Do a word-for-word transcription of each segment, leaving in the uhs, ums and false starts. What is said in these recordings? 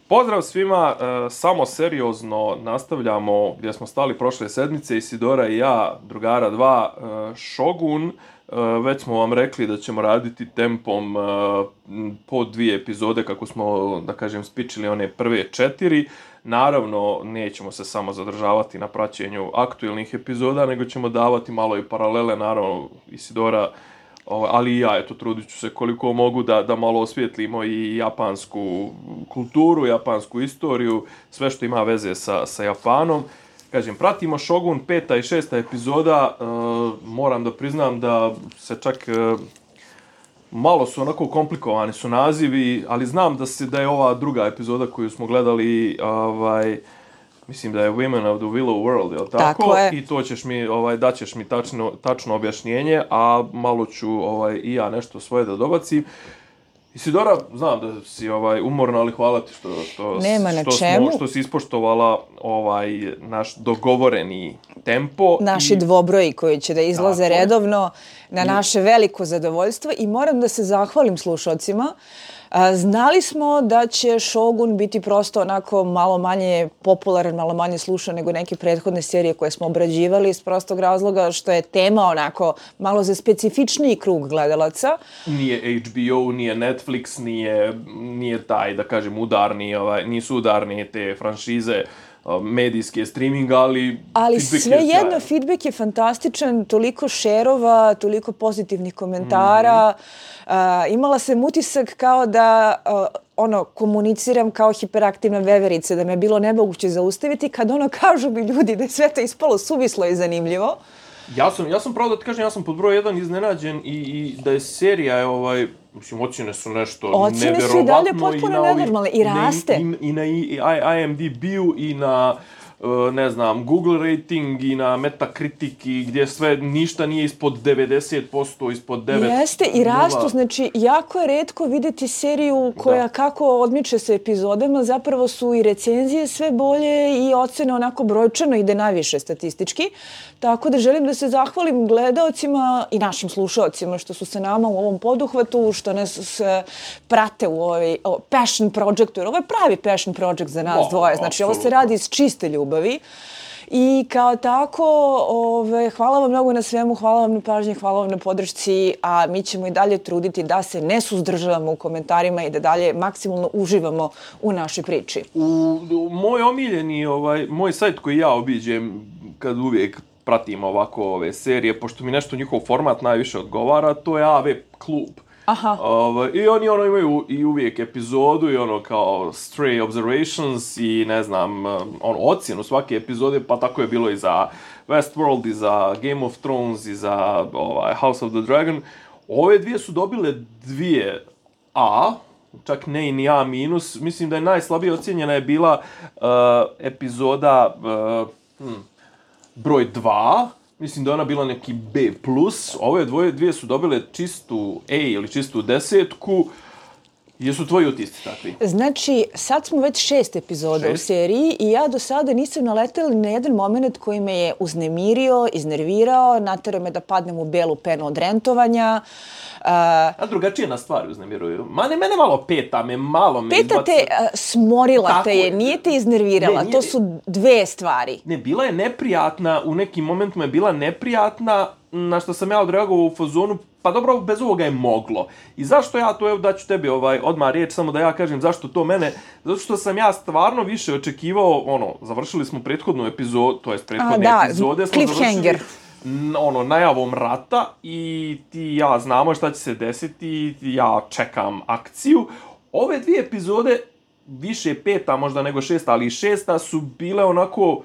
Pozdrav svima, e, samo seriozno nastavljamo gdje smo stali prošle sedmice, Isidora i ja, drugara dva, e, Shogun. E, već smo vam rekli da ćemo raditi tempom e, po dvije epizode kako smo, da kažem, spičili one prve četiri. Naravno, nećemo se samo zadržavati na praćenju aktualnih epizoda, nego ćemo davati malo i paralele, naravno, Isidora, ali i ja, eto, trudit ću se koliko mogu da, da malo osvijetlimo i japansku kulturu, japansku istoriju, sve što ima veze sa, sa Japanom. Kažem, pratimo Shogun, peta i šesta epizoda, e, moram da priznam da se čak e, malo su onako komplikovani su nazivi, ali znam da se da je ova druga epizoda koju smo gledali, ovaj, mislim da je Women of the Willow World, je li tako? Tako je. I to ćeš mi, ovaj, daćeš mi tačno, tačno objašnjenje, a malo ću ovaj, i ja nešto svoje da dobacim. Isidora, znam da si ovaj, umorna, ali hvala ti što, što, Nema na što, čemu. smo, što si ispoštovala ovaj, naš dogovoreni tempo. Naši i... dvobroji koji će da izlaze Tako. redovno na naše veliko zadovoljstvo i moram da se zahvalim slušalcima. Znali smo da će Shogun biti prosto onako malo manje popularan, malo manje slušan nego neke prethodne serije koje smo obrađivali iz prostog razloga što je tema onako malo za specifičniji krug gledalaca. Nije H B O, nije Netflix, nije, nije taj, da kažem, udarni, ovaj, nisu udarni te franšize, medijske streaminga, ali... Ali svejedno, feedback je fantastičan, toliko šerova, toliko pozitivnih komentara. Mm-hmm. Uh, imala sam utisak kao da uh, ono, komuniciram kao hiperaktivna veverica, da me je bilo nemoguće zaustaviti kad ono kažu mi ljudi da je sve to ispalo suvislo i zanimljivo. Ja sam, ja sam pravo da ti kažem, ja sam pod broj jedan iznenađen i, i da je serija, je, ovaj, mislim, ocjene su nešto ocjene neverovatno. Ocjene su i dalje potpuno nenormalne i raste. I, i na I M D B-u i na, ne znam, Google rating i na Metacritic i gdje sve ništa nije ispod devedeset posto, ispod devet. Jeste i rastu, znači jako je retko vidjeti seriju koja da. Kako odmiče sa epizodama, zapravo su i recenzije sve bolje i ocene onako brojčano ide najviše statistički. Tako da želim da se zahvalim gledaocima i našim slušaocima što su se nama u ovom poduhvatu, što nas prate u ovaj o, passion projektu, jer ovo je pravi passion project za nas o, dvoje, znači absolutno. Ovo se radi iz čiste ljubavi. I kao tako, ove, hvala vam mnogo na svemu, hvala vam na pažnji, hvala vam na podršci, a mi ćemo i dalje truditi da se ne suzdržavamo u komentarima i da dalje maksimalno uživamo u našoj priči. U, u moj omiljeni, ovaj, moj sajt koji ja obiđem kad uvijek pratim ovako ove serije, pošto mi nešto njihov format najviše odgovara, to je A V Klub. Aha. Ovaj, I oni ono imaju i uvijek epizodu i ono kao Stray Observations i ne znam, ono ocjenu svake epizode, pa tako je bilo i za Westworld i za Game of Thrones i za ovaj, House of the Dragon. Ove dvije su dobile dvije A, čak ne i ni A minus. Mislim da je najslabije ocjenjena je bila uh, epizoda uh, hmm, broj dva. Mislim da je ona bila neki B plus. Ove dvoje, dvije su dobile čistu A ili čistu desetku. Jesu tvoji utisci takvi? Znači, sad smo već šest epizoda šest? u seriji i ja do sada nisam naletela na jedan moment koji me je uznemirio, iznervirao, naterao me da padnem u belu penu od rentovanja. Uh, A drugačije na stvari uznemiruju. Ma ne, mene malo peta, me malo me peta izbaca. te uh, smorila Tako te je, nije te iznervirala. Ne, to su dve stvari. Ne, bila je neprijatna, u nekim momentima je bila neprijatna, na što sam ja odreagovao u fazonu, pa dobro, bez ovoga je moglo. I zašto ja to, evo daću tebi ovaj, odmah riječ, samo da ja kažem zašto to mene, zato što sam ja stvarno više očekivao, ono, završili smo prethodnu epizodu, to jest prethodne A, da, epizode, smo završili ono, najavom rata i ti ja znamo šta će se desiti, ja čekam akciju. Ove dvije epizode, više peta možda nego šesta, ali šesta su bile onako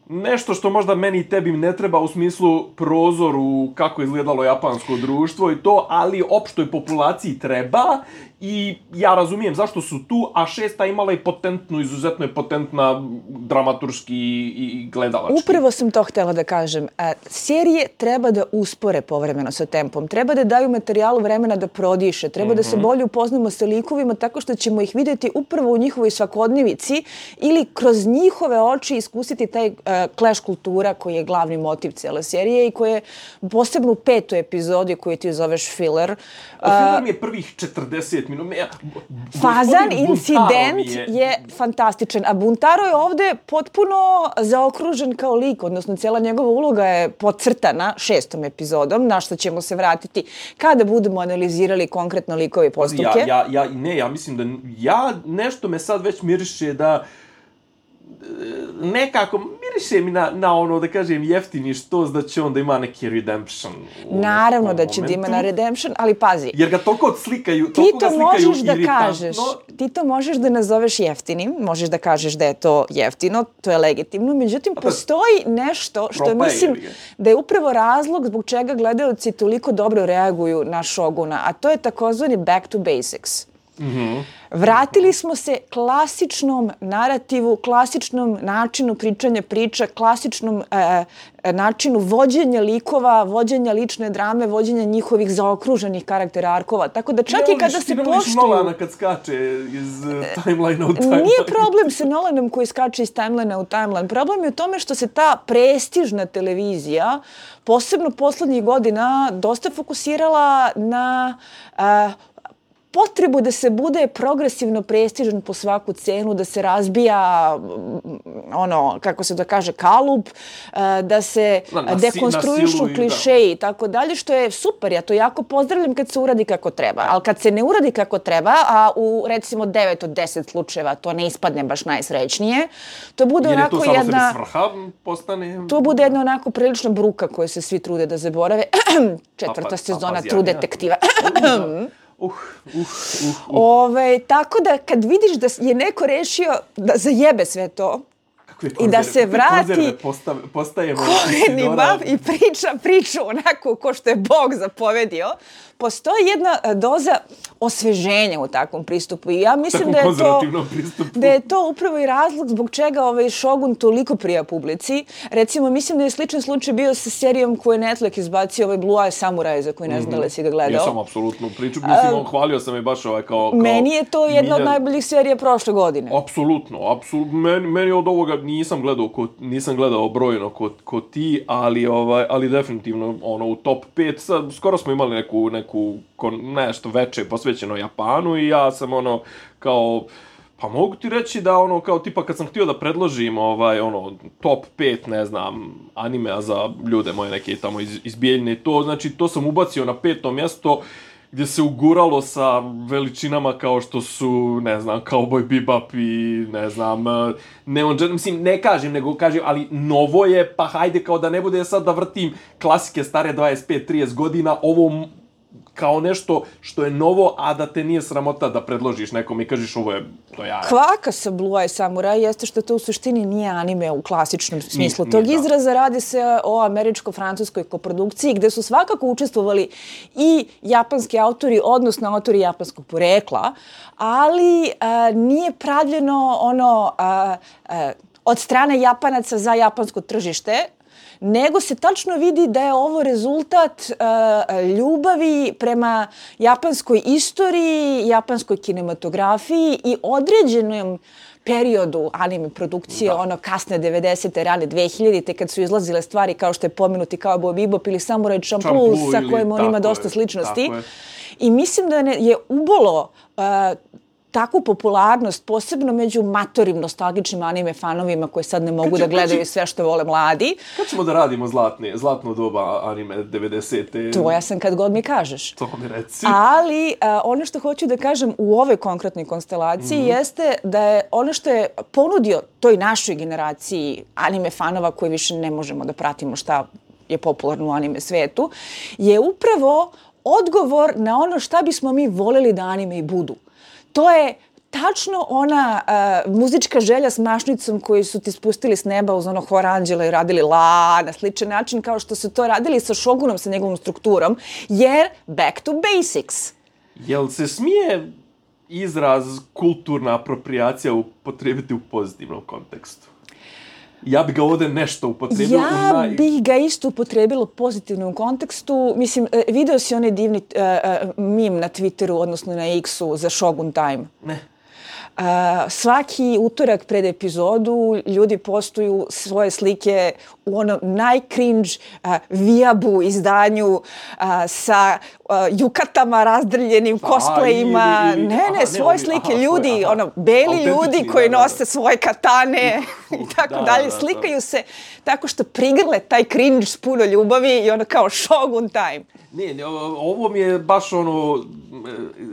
nešto što možda meni i tebi ne treba u smislu prozoru kako je izgledalo japansko društvo i to, ali opštoj populaciji treba i ja razumijem zašto su tu, a šesta imala i potentnu, izuzetno je potentna dramaturški i gledalački. Upravo sam to htjela da kažem. E, serije treba da uspore povremeno sa tempom, treba da daju materijalu vremena da prodiše, treba mm-hmm. da se bolje upoznamo sa likovima tako što ćemo ih vidjeti upravo u njihovoj svakodnevici ili kroz njihove oči iskusiti taj uh, clash kultura koji je glavni motiv cele serije i koje posebno u petoj epizodi koju ti zoveš filler. Filler mi je prvih četrdeset minuta. Ja, fazan incident je... je fantastičan. A Buntaro je ovde potpuno zaokružen kao lik, odnosno cijela njegova uloga je podcrtana šestom epizodom, na što ćemo se vratiti kada budemo analizirali konkretno likove i postupke. Ja, ja, ja, ne, ja mislim da ja nešto me sad već miriše da nekako miriše mi na, na ono, da kažem, jeftini štos da će on da ima neki redemption. Naravno da će momentu. Da ima na redemption, ali pazi. Jer ga toliko odslikaju, ti toliko to ga slikaju možeš da kažeš, ti to možeš da nazoveš jeftinim, možeš da kažeš da je to jeftino, to je legitimno, međutim, postoji nešto što mislim da je upravo razlog zbog čega gledaoci toliko dobro reaguju na Šoguna, a to je takozvani back to basics. Mm-hmm. Vratili smo se klasičnom narativu, klasičnom načinu pričanja priča, klasičnom e, načinu vođenja likova, vođenja lične drame, vođenja njihovih zaokruženih karaktera arkova. Tako da čak ne, i kada se poštuju... Ne Nolana kad skače iz uh, timeline u timeline. Nije problem sa Nolanom koji skače iz timeline u timeline. Problem je u tome što se ta prestižna televizija, posebno poslednjih godina, dosta fokusirala na... Uh, potrebu da se bude progresivno prestižan po svaku cenu, da se razbija ono, kako se to kaže, kalup, da se na, na, dekonstruišu klišeji i tako dalje, što je super. Ja to jako pozdravljam kad se uradi kako treba. Ali kad se ne uradi kako treba, a u recimo devet od deset slučajeva to ne ispadne baš najsrećnije, to bude jer onako je to jedna... svrha postane... To bude jedna onako prilična bruka koju se svi trude da zaborave. Četvrta pa, sezona pa, True Detektiva. Uh, uh, uh, uh. Ove, tako da kad vidiš da je neko rešio da zajebe sve to i da se vrati koreni bav i priča priču onako ko što je Bog zapovedio, postoji jedna doza osveženja u takvom pristupu i ja mislim da je, to, da je to upravo i razlog zbog čega ovaj Shogun toliko prija publici. Recimo, mislim da je sličan slučaj bio sa serijom koju je Netflix izbacio, ovaj Blue Eye Samurai, za koju ne znam da li si ga gledao. Ja sam apsolutno priču, mislim, on hvalio sam i baš ovaj kao... kao meni je to jedna miljan... od najboljih serija prošle godine. Apsolutno, apsolutno. Meni, meni od ovoga nisam gledao, ko, nisam gledao brojno ko, ko ti, ali, ovaj, ali definitivno ono, u top pet, sad, skoro smo imali neku, neku nešto veče posvećeno Japanu i ja sam ono kao pa mogu ti reći da ono kao tipa kad sam htio da predložim ovaj ono top pet ne znam animea za ljude moje neke tamo iz, iz Bijeljine, to znači to sam ubacio na peto mjesto gdje se uguralo sa veličinama kao što su, ne znam, Cowboy Bebop i, ne znam, Neon Genesis, mislim, ne kažem, nego kažem, ali novo je, pa hajde kao da ne bude sad da vrtim klasike stare dvadeset pet trideset godina, ovo kao nešto što je novo, a da te nije sramota da predložiš nekom i kažeš ovo je to ja. Kvaka sa Blue Eye Samurai jeste što to u suštini nije anime u klasičnom smislu. Ni, Tog nije, izraza da. Radi se o američko-francuskoj koprodukciji gde su svakako učestvovali i japanski autori, odnosno autori japanskog porekla, ali a, nije pravljeno ono a, a, od strane Japanaca za japansko tržište, nego se tačno vidi da je ovo rezultat uh, ljubavi prema japanskoj istoriji, japanskoj kinematografiji i određenom periodu anime produkcije, da. Ono kasne devedesete, rane dve hiljadite, kad su izlazile stvari kao što je pomenuti Cowboy Bebop ili Samurai Champloo, sa kojim on ima dosta sličnosti. I mislim da je ubolo uh, takvu popularnost, posebno među matorim nostalgičnim anime fanovima koji sad ne mogu će, da gledaju će, sve što vole mladi. Kad ćemo da radimo zlatne, zlatno doba anime devedesete? To ja sam kad god mi kažeš. To mi reci. Ali uh, ono što hoću da kažem u ovoj konkretnoj konstelaciji mm-hmm. jeste da je ono što je ponudio toj našoj generaciji anime fanova koji više ne možemo da pratimo šta je popularno u anime svetu, je upravo odgovor na ono šta bismo mi voleli da anime i budu. To je tačno ona uh, muzička želja s mašnicom koju su ti spustili s neba uz ono hor anđela i radili la na sličan način kao što su to radili sa Shogunom, sa njegovom strukturom, jer back to basics. Jel se smije izraz kulturna apropriacija upotrijebiti u pozitivnom kontekstu? Ja bih ga ovdje nešto upotrebila. Ja u naj... bih ga isto upotrebila u pozitivnom kontekstu. Mislim, video si onaj divni uh, uh, meme na Twitteru, odnosno na X-u za Shogun Time. Ne. Uh, svaki utorak pred epizodu ljudi postuju svoje slike u onom najcringe uh, vijabu izdanju uh, sa uh, jukatama razdrljenim, cosplayima. Ne, ne, ne, svoje slike, aha, ljudi, svoje, ono, beli ljudi koji da, nose da, da. svoje katane i tako da, dalje. Da, slikaju da. se tako što prigrle taj cringe s puno ljubavi i ono kao Shogun time. Ne, ne, ovo mi je baš ono,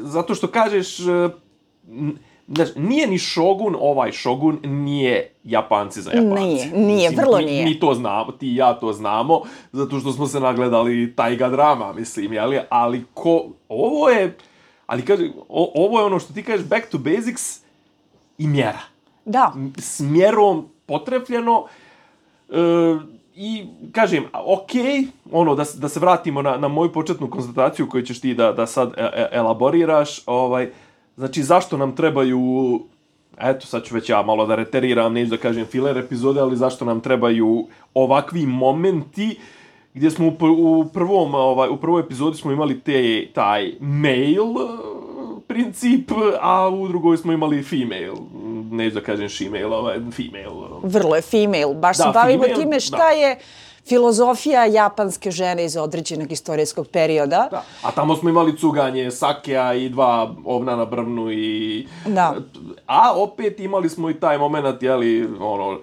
zato što kažeš, znaš, nije ni Shogun, ovaj Shogun nije Japanci za Japanci. Nije, nije, mislim, vrlo mi, nije. Mi to znamo, ti i ja to znamo, zato što smo se nagledali tajga drama, mislim, jeli? Ali ko, ovo je, ali kaže, o, ovo je ono što ti kažeš back to basics i mjera. Da. S mjerom potrefljeno, e, i kažem, ok, ono, da, da se vratimo na, na moju početnu konstataciju koju ćeš ti da, da sad e, elaboriraš, ovaj, znači zašto nam trebaju, eto sad ću već ja malo da reteriram, neću da kažem filler epizode, ali zašto nam trebaju ovakvi momenti gdje smo u, u prvom, ovaj, u prvoj epizodi smo imali te, taj male princip, a u drugoj smo imali female, neću da kažem she-male, ovaj, female. Vrlo je female, baš da, se bavimo female, time šta da. je filozofija japanske žene iz određenog istorijskog perioda. Da. A tamo smo imali cuganje sakea i dva ovna na brvnu i... Da. A opet imali smo i taj moment, jeli, ono,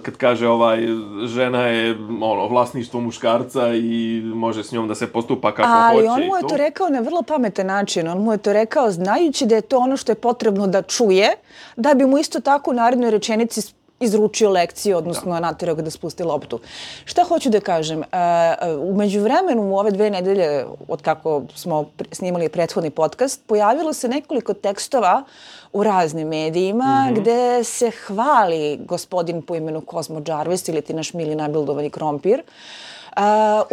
kad kaže ovaj, žena je ono, vlasništvo muškarca i može s njom da se postupa kako Ali hoće. Ali on mu je to. to rekao na vrlo pametan način. On mu je to rekao znajući da je to ono što je potrebno da čuje, da bi mu isto tako u narednoj rečenici izručio lekciju, odnosno da. naterao ga da spusti loptu. Šta hoću da kažem? Uh, u međuvremenu, u ove dve nedelje, od kako smo snimali prethodni podcast, pojavilo se nekoliko tekstova u raznim medijima mm-hmm. gde se hvali gospodin po imenu Cosmo Jarvis ili ti naš mili nabildovani krompir. Uh,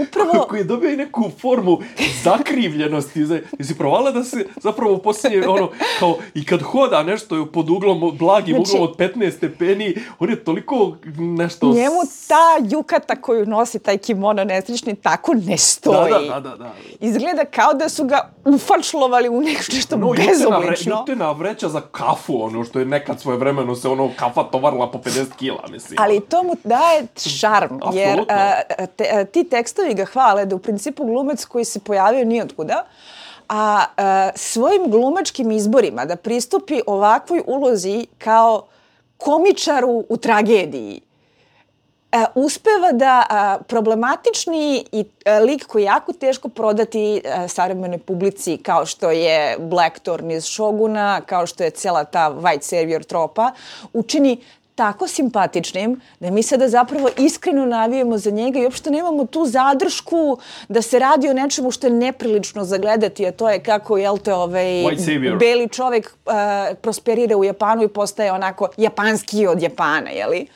upravo... Koji je dobio i neku formu zakrivljenosti. Jesi provala da se zapravo poslije, ono, kao, i kad hoda nešto pod uglom, blagim znači, uglom od petnaest stepeni, on je toliko nešto... Njemu ta jukata koju nosi, taj kimono nesrećni, tako ne stoji. Da, da, da, da. Izgleda kao da su ga ufačlovali u nešto no, bezoblično. Jutena vreća za kafu, ono, što je nekad svoje vremeno se ono kafa tovarila po pedeset kila, mislim. Ali to mu daje šarm, jer uh, te, ti tekstovi ga hvale da u principu glumac koji se pojavio nijotkuda, a uh, svojim glumačkim izborima da pristupi ovakvoj ulozi kao komičaru u tragediji, uh, uspeva da uh, problematični i uh, lik koji je jako teško prodati uh, savremenoj publici kao što je Blackthorn iz Shoguna, kao što je cijela ta white savior tropa, učini tako simpatičnim da mi sada zapravo iskreno navijemo za njega i uopšte nemamo tu zadršku da se radi o nečemu što je neprilično zagledati, a to je kako, jel te, ovaj, beli čovjek uh, prosperira u Japanu i postaje onako japanski od Japana, jeli?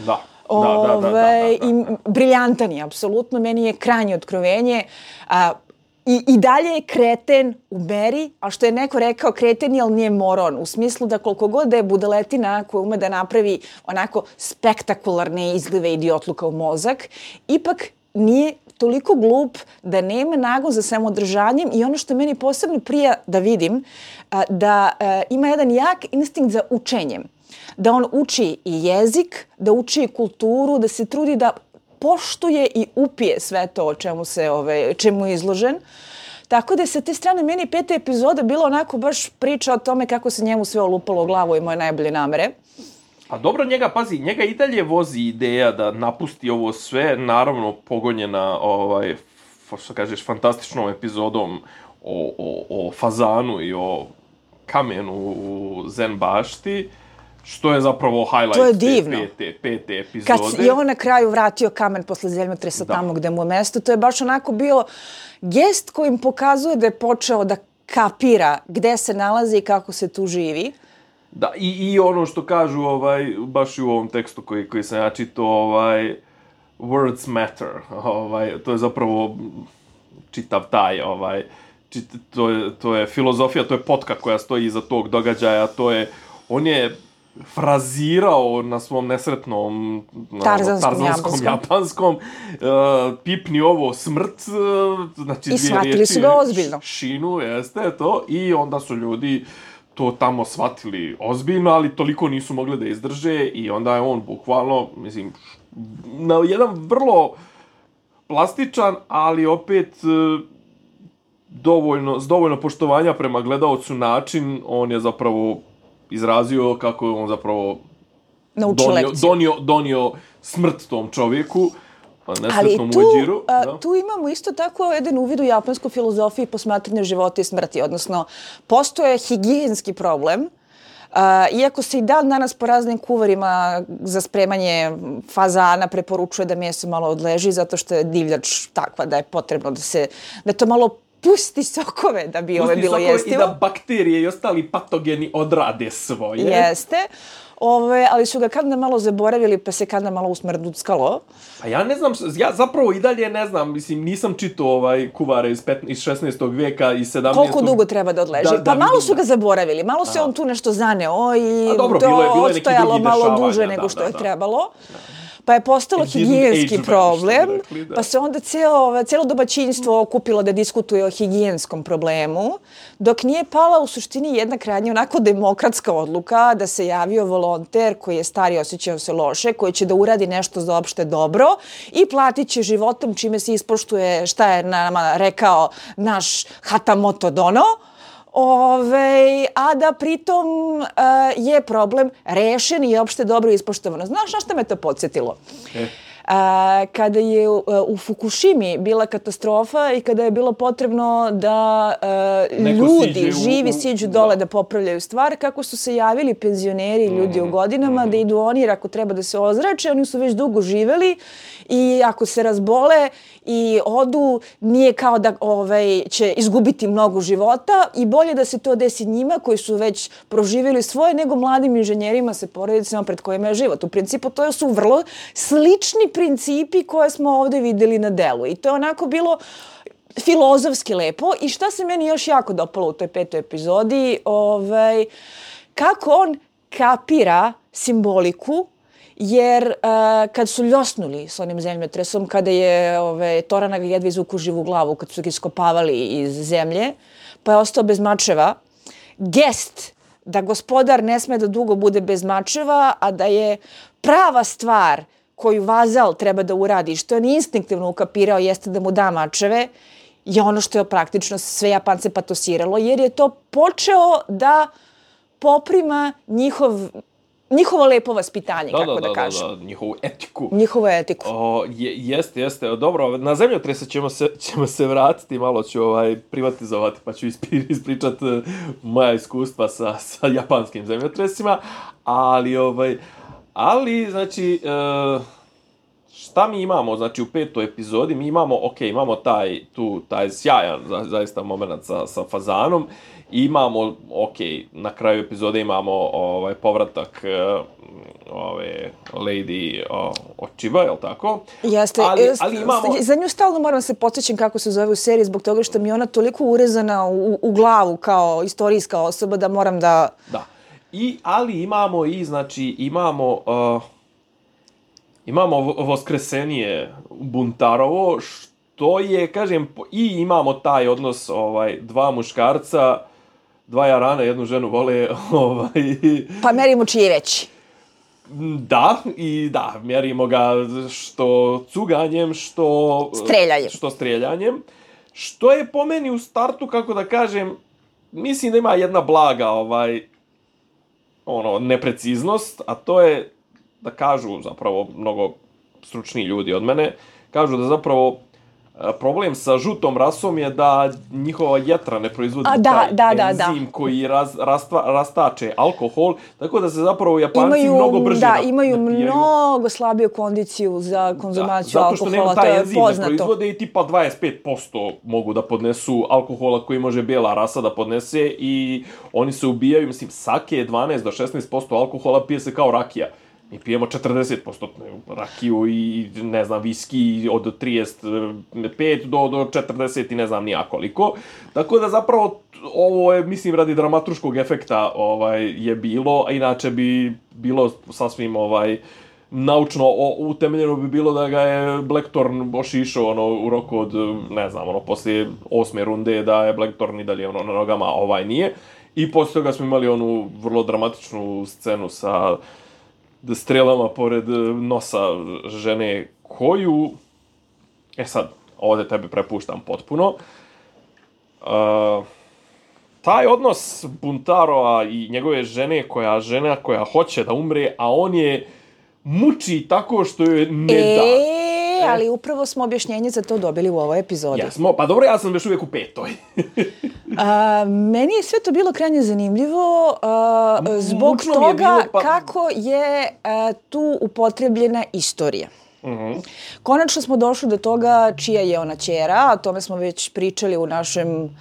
Da. Ove, da, da, da, da, da. I briljantan je, apsolutno. Meni je krajnje otkrovenje. A, I, I dalje je kreten u meri, a što je neko rekao kreten je, ali nije moron. U smislu da koliko god da je budaletina koja ume da napravi onako spektakularne izlive idiotluka u mozak, ipak nije toliko glup da nema nagon za samodržanjem i ono što meni posebno prija da vidim, da ima jedan jak instinkt za učenjem. Da on uči i jezik, da uči i kulturu, da se trudi da poštuje i upije sve to o čemu se, ove, čemu je izložen. Tako da je sa te strane meni peta epizoda bila onako baš priča o tome kako se njemu sve olupalo u glavu i moje najbolje namere. A dobro, njega, pazi, njega i dalje vozi ideja da napusti ovo sve, naravno pogonjena, ovaj, što kažeš, fantastičnom epizodom o, o, o fazanu i o kamenu u Zen bašti, što je zapravo highlight te pete, pete epizode. Kad je on na kraju vratio kamen posle zemljotresa tamo gde mu je mesto, to je baš onako bio gest kojim pokazuje da je počeo da kapira gde se nalazi i kako se tu živi. Da, i, i ono što kažu, ovaj, baš i u ovom tekstu koji, koji sam ja čitao, ovaj, words matter, ovaj, to je zapravo čitav taj, ovaj, čit, to, je, to je filozofija, to je potka koja stoji iza tog događaja, to je, on je frazirao na svom nesretnom tarzanskom, tarzanskom japanskom, uh, pipni ovo smrt, uh, znači i shvatili su ga ozbiljno. Šinu, jeste to, i onda su ljudi to tamo shvatili ozbiljno, ali toliko nisu mogli da izdrže i onda je on bukvalno, mislim, na jedan vrlo plastičan, ali opet dovoljno, s dovoljno poštovanja prema gledaocu način, on je zapravo izrazio kako je on zapravo donio, donio, donio smrt tom čovjeku, nesretnom Ueđiru. Ali tu imamo isto tako jedan uvid u japansku filozofiju i posmatranje života i smrti, odnosno postoje higijenski problem. Uh, iako se i dan danas po raznim kuvarima za spremanje fazana preporučuje da meso malo odleži, zato što je divljač takva da je potrebno da se, da to malo pusti sokove da bi ove bilo jestivo. Pusti sokove i da bakterije i ostali patogeni odrade svoje. Jeste. Ove, ali su ga kad nam malo zaboravili, pa se kad nam malo usmrduckalo. Pa ja ne znam, ja zapravo i dalje ne znam, mislim, nisam čitao ovaj kuvare iz, iz šesnaestog vijeka i sedamnaestog Koliko dugo treba da odleži? Da, da, pa malo su ga zaboravili, malo se on tu nešto zaneo i dobro, to bilo je, bilo je odstojalo malo duže nego što da, je da, trebalo. Da. Pa je postalo higijenski problem, rekli, pa se onda cijelo, cijelo domaćinstvo okupilo da diskutuje o higijenskom problemu, dok nije pala u suštini jedna krajnje onako demokratska odluka da se javio volonter koji je stari i osjećao se loše, koji će da uradi nešto za opšte dobro i platit će životom čime se ispoštuje šta je nama rekao naš Hatamoto Dono. Ove, a da pritom uh, je problem rešen i opšte dobro ispoštovano. Znaš na što me to podsjetilo? E. Uh, kada je uh, u Fukushimi bila katastrofa i kada je bilo potrebno da uh, ljudi, živi, siđu dole da. da popravljaju stvar, kako su se javili penzioneri i ljudi mm. u godinama, mm. da idu oni jer ako treba da se ozrače, oni su već dugo živeli i ako se razbole i odu, nije kao da ovaj, će izgubiti mnogo života i bolje da se to desi njima koji su već proživjeli svoje nego mladim inženjerima sa porodicama pred kojima je život. U principu to su vrlo slični principi koje smo ovdje vidjeli na delu i to je onako bilo filozofski lepo. I šta se meni još jako dopalo u toj petoj epizodi, ovaj, kako on kapira simboliku. Jer uh, kad su ljosnuli s onim zemljotresom, kada je ove, Torana ga jedva izvuku živu glavu, kad su ga iskopavali iz zemlje, pa je ostao bez mačeva, gest da gospodar ne sme da dugo bude bez mačeva, a da je prava stvar koju vazal treba da uradi, što je on instinktivno ukapirao, jeste da mu da mačeve, je ono što je praktično sve Japance patosiralo, jer je to počeo da poprima njihov njihovo lepo vaspitanje, da, kako da, da, da kažem. Da, da, njihovu etiku. Njihovu etiku. O, je, jeste, jeste. Dobro, na zemljotrese ćemo se, ćemo se vratiti, malo ću ovaj, privatizovati, pa ću ispričati moja iskustva sa, sa japanskim zemljotresima, ali, ovaj, ali znači, šta mi imamo, znači, u petoj epizodi, mi imamo, ok, imamo taj, tu, taj sjajan, za, zaista, moment sa, sa fazanom, imamo, ok, na kraju epizode imamo ovaj povratak ove Lady Ochiba, je li tako? Jeste, ali, ali imamo... za nju stalno moram se podsjećam kako se zove u seriji, zbog toga što mi je ona toliko urezana u, u glavu kao istorijska osoba da moram da... Da, I, ali imamo i, znači, imamo... Uh, imamo voskresenije Buntarovo, što je, kažem, i imamo taj odnos ovaj, dva muškarca, dva jarana, jednu ženu vole... Ovaj... Pa merimo čiji je veći. Da, i da, mjerimo ga što cuganjem, što... Streljanjem. Što streljanjem. Što je po meni u startu, kako da kažem, mislim da ima jedna blaga ovaj, ono, nepreciznost, a to je da kažu zapravo mnogo stručni ljudi od mene, kažu da zapravo problem sa žutom rasom je da njihova jetra ne proizvodi A, da, taj da, enzim da. koji raz, rastva, rastače alkohol, tako da se zapravo Japanci imaju, mnogo brže da, napijaju. imaju mnogo slabiju kondiciju za konzumaciju da, alkohola, to je poznato. Zato što nema taj enzim ne proizvode i tipa dvadeset pet posto mogu da podnesu alkohola koji može bijela rasa da podnese i oni se ubijaju, mislim, sake je dvanaest do šesnaest posto alkohola pije se kao rakija. Mi pijemo četrdeset posto rakiju i, ne znam, viski od trideset pet do, do četrdeset i ne znam nija koliko. Tako da zapravo ovo je, mislim, radi dramaturškog efekta ovaj, je bilo, a inače bi bilo sasvim ovaj, naučno utemeljeno bi bilo da ga je Blackthorn ošišao ono, u roku od, ne znam, ono, poslije osme runde da je Blackthorn i dalje ono, na nogama, ovaj nije. I posle toga smo imali onu vrlo dramatičnu scenu sa strelama pored nosa žene koju... E sad, ovde tebe prepuštam potpuno. Uh, taj odnos Buntaroa i njegove žene, koja žena koja hoće da umre, a on je muči tako što joj ne e, da. E, ali upravo smo objašnjenje za to dobili u ovoj epizodi. Jesmo, pa dobro, ja sam još uvijek u petoj. a, meni je sve to bilo krajnje zanimljivo a, zbog Mučno toga je bilo, pa... kako je a, tu upotrebljena istorija. Uh-huh. Konačno smo došli do toga čija je ona ćera, o tome smo već pričali u našem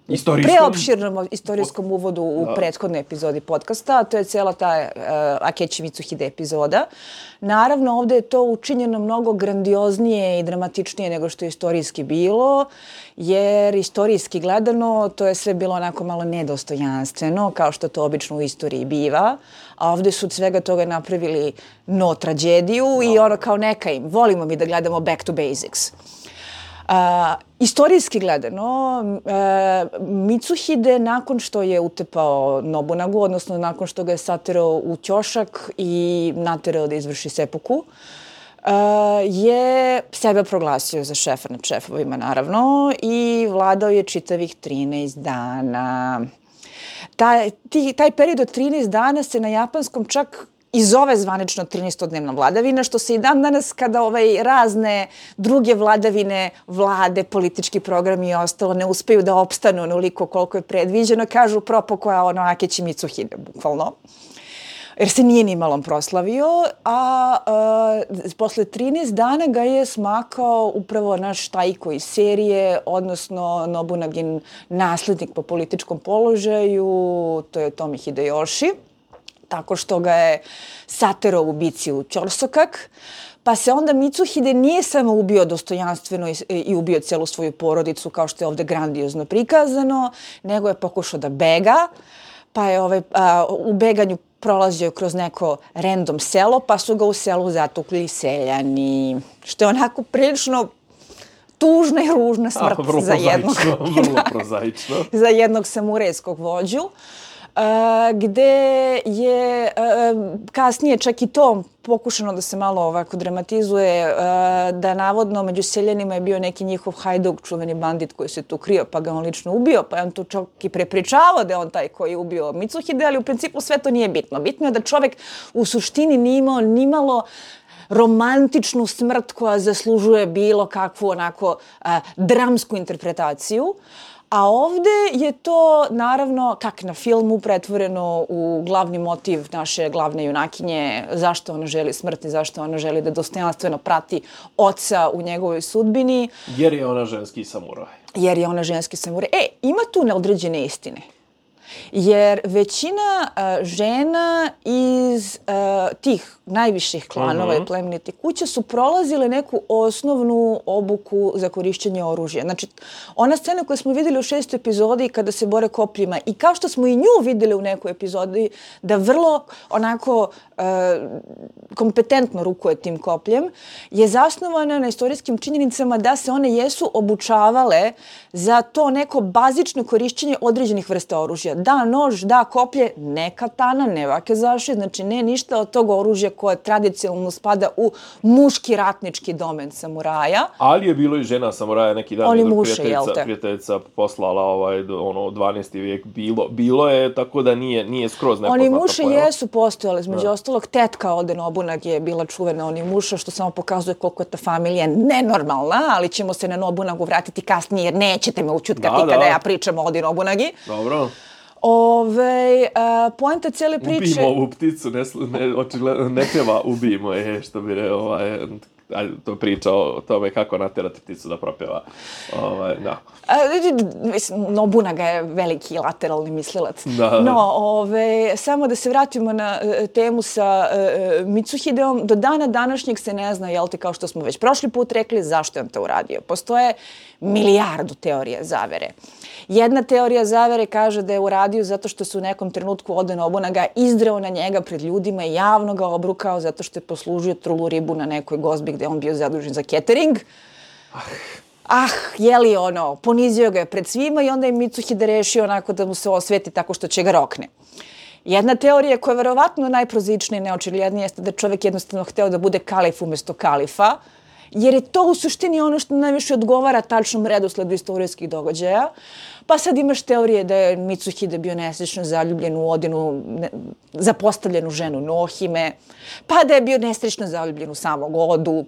istorijskom... preopširnom istorijskom uvodu u da. prethodnoj epizodi podcasta. To je cijela ta uh, Akechi Mitsuhide epizoda. Naravno, ovdje je to učinjeno mnogo grandioznije i dramatičnije nego što je istorijski bilo, jer istorijski gledano to je sve bilo onako malo nedostojanstveno, kao što to obično u istoriji biva. A ovdje su od svega toga napravili no tragediju no. i ono kao neka im. Volimo mi da gledamo back to basics. Uh, istorijski gledano, uh, Mitsuhide nakon što je utepao Nobunagu, odnosno nakon što ga je saterao u ćošak i naterao da izvrši seppuku, uh, je sebe proglasio za šefa nad šefovima, naravno, i vladao je čitavih trinaest dana. Taj, ti, taj period od trinaest dana se na japanskom čak i zove zvanično trinaestodnevna vladavina, što se i dan danas kada ovaj razne druge vladavine, vlade, politički programi i ostalo ne uspeju da opstanu onoliko koliko je predviđeno, kažu propo koja ono Akechi Mitsuhide, bukvalno. Jer se nije ni malom proslavio, a, a posle trinaest dana ga je smakao upravo naš Taiko iz serije, odnosno Nobunagin naslednik po političkom položaju, to je Tomi Hideyoshi, tako što ga je saterao u bici u Ćorsokak. Pa se onda Mitsuhide nije samo ubio dostojanstveno i, i ubio celu svoju porodicu, kao što je ovde grandiozno prikazano, nego je pokušao da bega, pa je ovaj, a, u beganju prolazio kroz neko random selo, pa su ga u selu zatukli seljani, što je onako prilično tužna i ružna smrt A, vrlo za jednog, vrlo prozaično. za jednog samurajskog vođu. Uh, gde je uh, kasnije čak i to pokušano da se malo ovako dramatizuje, uh, da navodno među seljanima je bio neki njihov hajduk, čuveni bandit koji se tu krio, pa ga on lično ubio, pa je on tu čak i prepričavao da je on taj koji je ubio Mitsuhide, ali u principu sve to nije bitno. Bitno je da čovjek u suštini nije imao nimalo romantičnu smrt koja zaslužuje bilo kakvu onako uh, dramsku interpretaciju. A ovde je to, naravno, kak na filmu, pretvoreno u glavni motiv naše glavne junakinje, zašto ona želi smrt i zašto ona želi da dostojanstveno prati oca u njegovoj sudbini. Jer je ona ženski samuraj. Jer je ona ženski samuraj. E, ima tu neodređene istine. Jer većina uh, žena iz uh, tih najviših klanova uh-huh. i plemenitih kuća su prolazile neku osnovnu obuku za korišćenje oružja. Znači, ona scena koju smo videli u šestoj epizodi kada se bore kopljima i kao što smo i nju videli u nekoj epizodi da vrlo onako uh, kompetentno rukuje tim kopljem, je zasnovana na istorijskim činjenicama da se one jesu obučavale za to neko bazično korišćenje određenih vrsta oružja. Da nož, da koplje, ne katana, ne vakezaši, znači ne ništa od tog oružja koje tradicionalno spada u muški ratnički domen samuraja. Ali je bilo i žena samuraja neki dan. Oni muše, jel te? Prijateljica poslala ovaj, ono, dvanaesti vijek. Bilo, bilo je, tako da nije, nije skroz nepoznato. Oni muše pojava. Jesu postojali, između ostalog tetka Ode Nobunag je bila čuvena Oni muša, što samo pokazuje koliko je ta familija nenormalna, ali ćemo se na Nobunagu vratiti kasnije, jer nećete me učutkati da, kada da. ja pričam o Odi Nobunagi. Dobro. Ove, uh, poenta cijele priče... Ubijemo ovu pticu, ne, ne, očigledno ne pjeva ubijemo je, što bi re, ovaj, to priča o tome kako naterati pticu da propjeva. Ovaj, da. Uh, Nobunaga je veliki lateralni mislilac. Da. No, ove, samo da se vratimo na uh, temu sa uh, Mitsuhideom, do dana današnjeg se ne zna, jel te, kao što smo već prošli put rekli, zašto je on to uradio. Postoje milijardu teorija zavere. Jedna teorija zavere kaže da je uradio zato što se u nekom trenutku Oda Nobunaga izdrao na njega pred ljudima i javno ga obrukao zato što je poslužio trulu ribu na nekoj gozbi gde on bio zadužen za catering. ah, jeli ono, ponizio ga je pred svima i onda je Mitsuhide rešio onako da mu se osveti tako što će ga rokne. Jedna teorija koja je verovatno najprozičnija i neočiglednija jeste da je čovjek jednostavno hteo da bude kalif umjesto kalifa, jer je to u suštini ono što najviše odgovara tačnom redosledu istorijskih događaja. Pa sad imaš teorije da je Mitsuhide bio nesrećno zaljubljen u Odinu, ne, zapostavljenu ženu Nohime, pa da je bio nesrećno zaljubljen u samog Odu.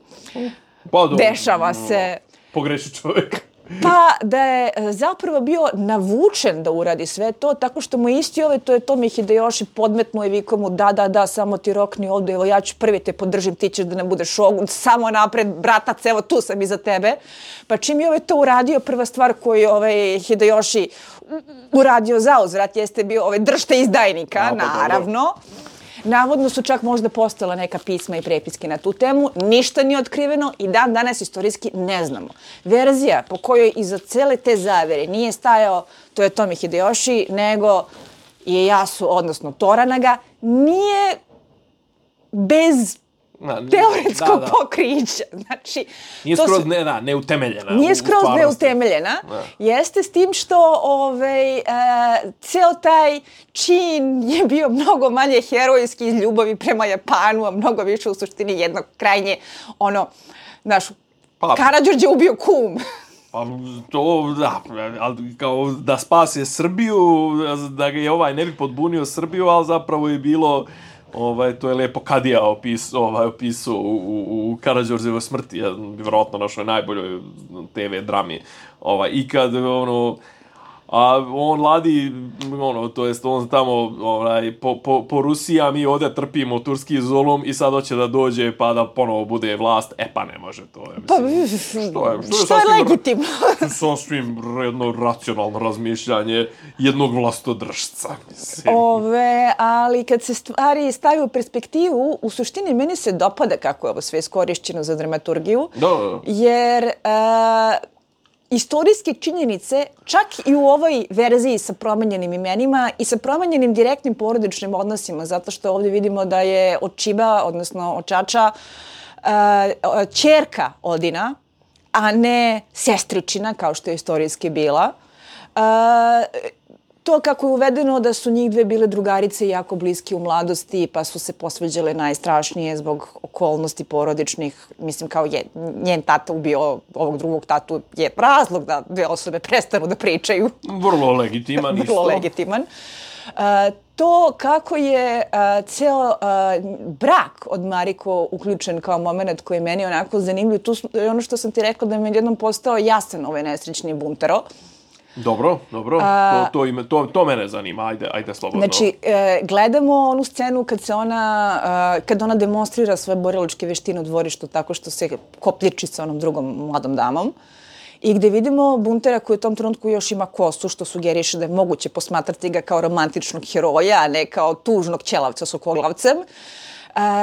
Pa do, Dešava se. Pogreši čovjek. Pa da je zapravo bio navučen da uradi sve to, tako što mu isti ovaj, to je Tomi Hideyoshi, podmetnuo i vikao mu da, da, da, samo ti rokni ovdje, evo ja ću prvi te podržim, ti ćeš da ne budeš šogun, samo napred, bratac, evo tu sam iza tebe. Pa čim je ovaj to uradio, prva stvar koju je ovaj Hideyoshi uradio za uzvrat jeste bio ovaj držte izdajnika, ja, pa naravno. Dobro. Navodno su čak možda postala neka pisma i prepiske na tu temu. Ništa nije otkriveno i dan danas istorijski ne znamo. Verzija po kojoj iza cele te zavere nije stajao to je Tomi Hideyoshi, nego Ieyasu, odnosno Toranaga, nije bez Na, teoretskog da, da. pokrića. Znači, nije to skroz su, ne, da, neutemeljena. Nije skroz neutemeljena. Da. Jeste s tim što ovaj, e, ceo taj čin je bio mnogo manje herojski iz ljubavi prema Japanu, a mnogo više u suštini jednog krajnje, ono, naš, pa, Karađorđe ubio kum. Pa to, da, ali kao da spase Srbiju, da ga je ovaj ne bi podbunio Srbiju, ali zapravo je bilo... Ovaj, to je lijepo Kadija opis, ovaj, opisao u, u, u Karađorđevoj smrti, ja, vjerojatno našoj najboljoj te ve drami. Ovaj, I kad, ono, a on ladi, ono, to jest on tamo ovaj, po, po, po Rusiji, a mi ovdje trpimo turski zulum i sad hoće da dođe pa da ponovo bude vlast. E pa ne može to. Je, mislim, pa, što je, što je, što je legitimno? Sasvim jedno racionalno razmišljanje jednog vlastodržca. Mislim. Ove, ali kad se stvari stavi u perspektivu, u suštini meni se dopada kako je ovo sve iskorišćeno za dramaturgiju. Da, da. Jer... A, istorijske činjenice, čak i u ovoj verziji sa promenjenim imenima i sa promenjenim direktnim porodičnim odnosima, zato što ovdje vidimo da je Očiba, odnosno Očača, uh, ćerka Odina, a ne sestričina, kao što je istorijski bila. Uh, to kako je uvedeno da su njih dve bile drugarice jako bliske u mladosti, pa su se posveđale najstrašnije zbog okolnosti porodičnih. Mislim, kao je njen tata ubio ovog drugog tatu je razlog da dve osobe prestanu da pričaju. Vrlo legitiman isto. Vrlo legitiman. Uh, to kako je uh, ceo uh, brak od Mariko uključen kao moment koji je meni onako zanimljiv. Tu je ono što sam ti rekla da mi je jednom postao jasan ovaj nesrećni Buntaro. Dobro, dobro. A, to, to, ime, to, to mene zanima. Ajde, ajde slobodno. Znači, e, gledamo onu scenu kad se ona, e, kad ona demonstrira svoje borilačke veštine u dvorištu tako što se kopljiči sa onom drugom mladom damom. I gde vidimo Buntera koji u tom trenutku još ima kosu, što sugeriše da je moguće posmatrati ga kao romantičnog heroja, a ne kao tužnog ćelavca s okoglavcem. Uh,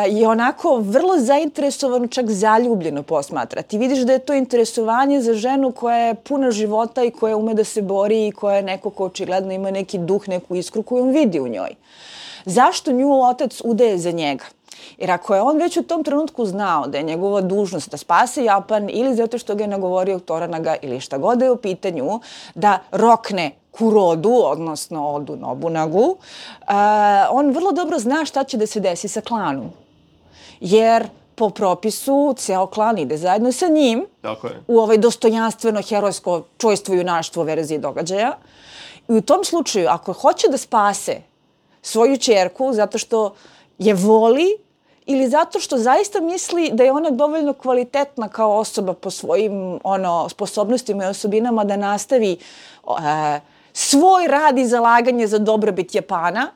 je onako vrlo zainteresovano, čak zaljubljeno posmatra. Ti vidiš da je to interesovanje za ženu koja je puna života i koja ume da se bori i koja je neko ko očigledno ima neki duh, neku iskru koju on vidi u njoj. Zašto nju otac udaje za njega? Jer ako je on već u tom trenutku znao da je njegova dužnost da spase Japan ili zato što ga je nagovorio Toranaga ili šta god da je u pitanju, da rokne Kurodu, odnosno Odu Nobunagu, uh, on vrlo dobro zna šta će da se desi sa klanom. Jer po propisu ceo klan ide zajedno sa njim Tako je. u ovaj dostojanstveno herojsko čojstvo i junaštvo verzije događaja. I u tom slučaju, ako hoće da spase svoju ćerku zato što je voli ili zato što zaista misli da je ona dovoljno kvalitetna kao osoba po svojim ono, sposobnostima i osobinama da nastavi uh, svoj rad i zalaganje za dobrobit Japana,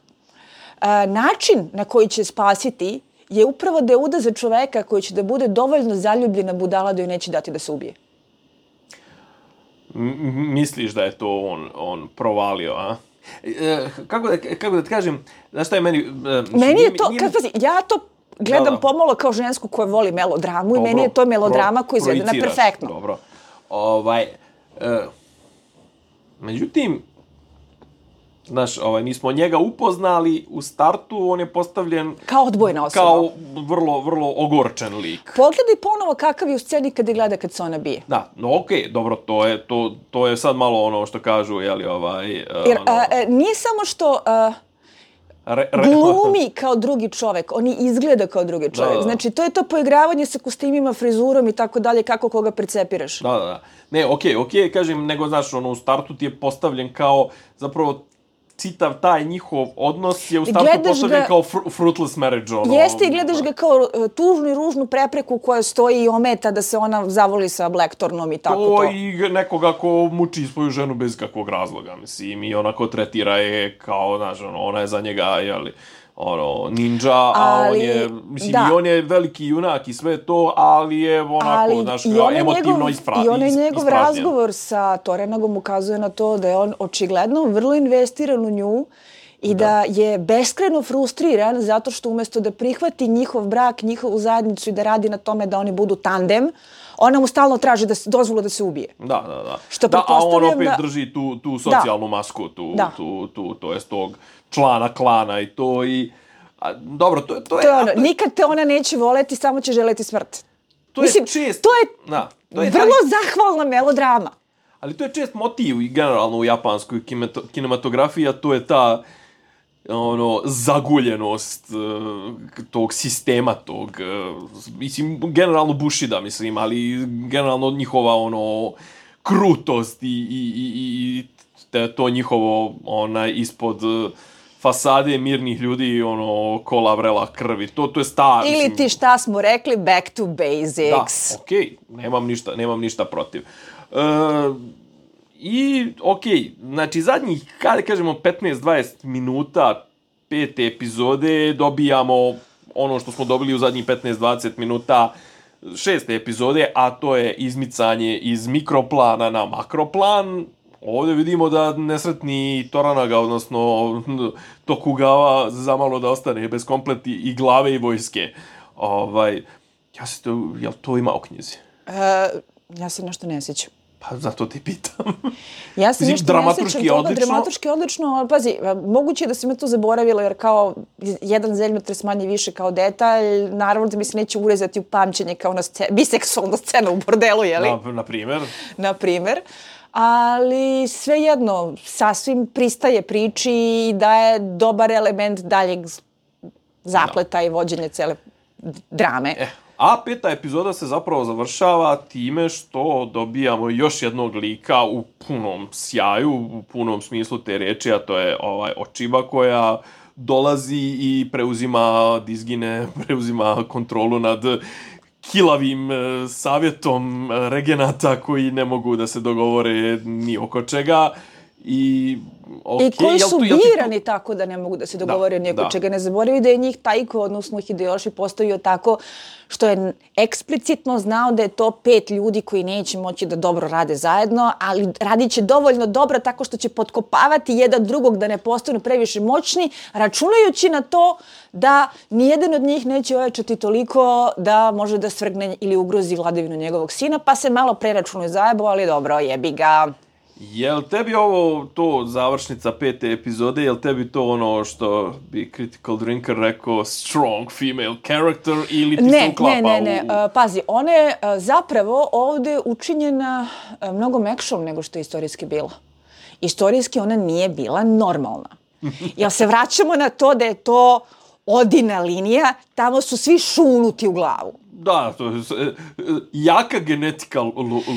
uh, način na koji će spasiti je upravo da je uda za čoveka koji će da bude dovoljno zaljubljena budala da joj neće dati da se ubije. M- misliš da je to on, on provalio, a? E, kako, da, kako da ti kažem, znaš šta je meni... E, meni je to, kad pazi, ja to gledam da, da. pomalo kao žensku koja voli melodramu dobro, i meni je to melodrama koja je izvedena perfektno. Dobro, ovaj... E, međutim, Znaš, ovaj, mi smo njega upoznali u startu, on je postavljen... Kao odbojna osoba. Kao vrlo, vrlo ogorčen lik. Pogledaj ponovo kakav je u sceni kada gleda kad se ona bije. Da, no okej, okay, dobro, to je, to, to je sad malo ono što kažu, jeli, ovaj... Jer ono, a, a, nije samo što... A, re, re, glumi kao drugi čovek, on i izgleda kao drugi čovek. Da, da. Znači, to je to poigravanje sa kostimima, frizurom i tako dalje, kako koga percepiraš. Da, da, da. Ne, okej, okay, okej, okay, kažem, nego, znaš, ono, u startu ti je postavljen kao, zapravo, citav taj njihov odnos je u startu Gledaš postavljen ga, kao fr fruitless marriage. Ono, jeste i gledaš ga kao uh, tužnu i ružnu prepreku koja stoji i ometa da se ona zavoli sa Blackthornom i tako to. To i nekoga ko muči svoju ženu bez kakvog razloga, mislim, i onako tretira je kao, znaš, ono, ona je za njega, jeli, ono, ninja, a ali, on je, mislim, da. i on je veliki junak i sve to, ali je onako, ali znaš, emotivno njegov, ispra, I onaj njegov ispražnjen. razgovor sa Torenagom ukazuje na to da je on očigledno vrlo investiran u nju i da. da je beskreno frustriran zato što umjesto da prihvati njihov brak, njihovu zajednicu i da radi na tome da oni budu tandem, ona mu stalno traži da se dozvolu da se ubije. Da, da, da. Što da, a on opet da... drži tu, tu socijalnu da. masku, tu, da. tu, tu, to jest tog člana klana i to i... A, dobro, to, to, to je... je ono, nikad te ona neće voleti, samo će želeti smrt. To Mislim, je čest... To je, da, to je vrlo taj... zahvalna melodrama. Ali to je čest motiv i generalno u japanskoj kinematografiji, a to je ta ono, zaguljenost uh, tog sistema, tog, uh, mislim, generalno Bushida, mislim, ali generalno njihova, ono, krutost i, i, i, i te, to njihovo, onaj, ispod uh, fasade mirnih ljudi, ono, kola vrela krvi, to, to je star. Ili mislim, ti šta smo rekli, back to basics. Da, okej, okay, nemam ništa, nemam ništa protiv. Uh, I, okej, okay, znači zadnjih, kada kažemo, petnaest dvadeset minuta pete epizode dobijamo ono što smo dobili u zadnjih petnaest dvadeset minuta šeste epizode, a to je izmicanje iz mikroplana na makroplan. Ovdje vidimo da nesretni Toranaga, odnosno Tokugawa, zamalo da ostane bez kompleti i glave i vojske. Ovaj, ja se to, jel to ima u knjizi? Uh, ja se nešto ne sjećam. Pa zato ti pitam. Ja se nešto ne sjećam toga, odlično. dramatuški odlično, ali pazi, moguće je da se me to zaboravilo, jer kao jedan zemljotres manje više kao detalj, naravno da mi se neće urezati u pamćenje kao na scena, biseksualna scena u bordelu, jeli? Na, na primjer. Na primjer. Ali svejedno, sasvim pristaje priči i daje dobar element daljeg zapleta no. i vođenja cele drame. Eh. A peta epizoda se zapravo završava time što dobijamo još jednog lika u punom sjaju, u punom smislu te reči, a to je ovaj Ochiba koja dolazi i preuzima dizgine, preuzima kontrolu nad kilavim e, savjetom regenata koji ne mogu da se dogovore ni oko čega. I, okay, I koji su jel tu, birani tu... tako da ne mogu da se dogovore ni oko da. čega. Ne zaboravi da je njih Taiko, odnosno Hideyoshi, postavio tako što je eksplicitno znao da je to pet ljudi koji neće moći da dobro rade zajedno, ali radit će dovoljno dobro tako što će potkopavati jedan drugog da ne postanu previše moćni, računajući na to da nijedan od njih neće ojačati toliko da može da svrgne ili ugrozi vladavinu njegovog sina, pa se malo preračunuje zajebo, ali dobro, jebi ga. Jel tebi ovo to završnica pete epizode, jel tebi to ono što bi Critical Drinker rekao strong female character ili ti ne, se uklapa ne, ne, ne, u... ne, pazi, ona je zapravo ovdje učinjena mnogo mekšom nego što je istorijski bila. Istorijski ona nije bila normalna. Jel se vraćamo na to da je to Odina linija, tamo su svi šunuti u glavu. Da, to je jaka genetika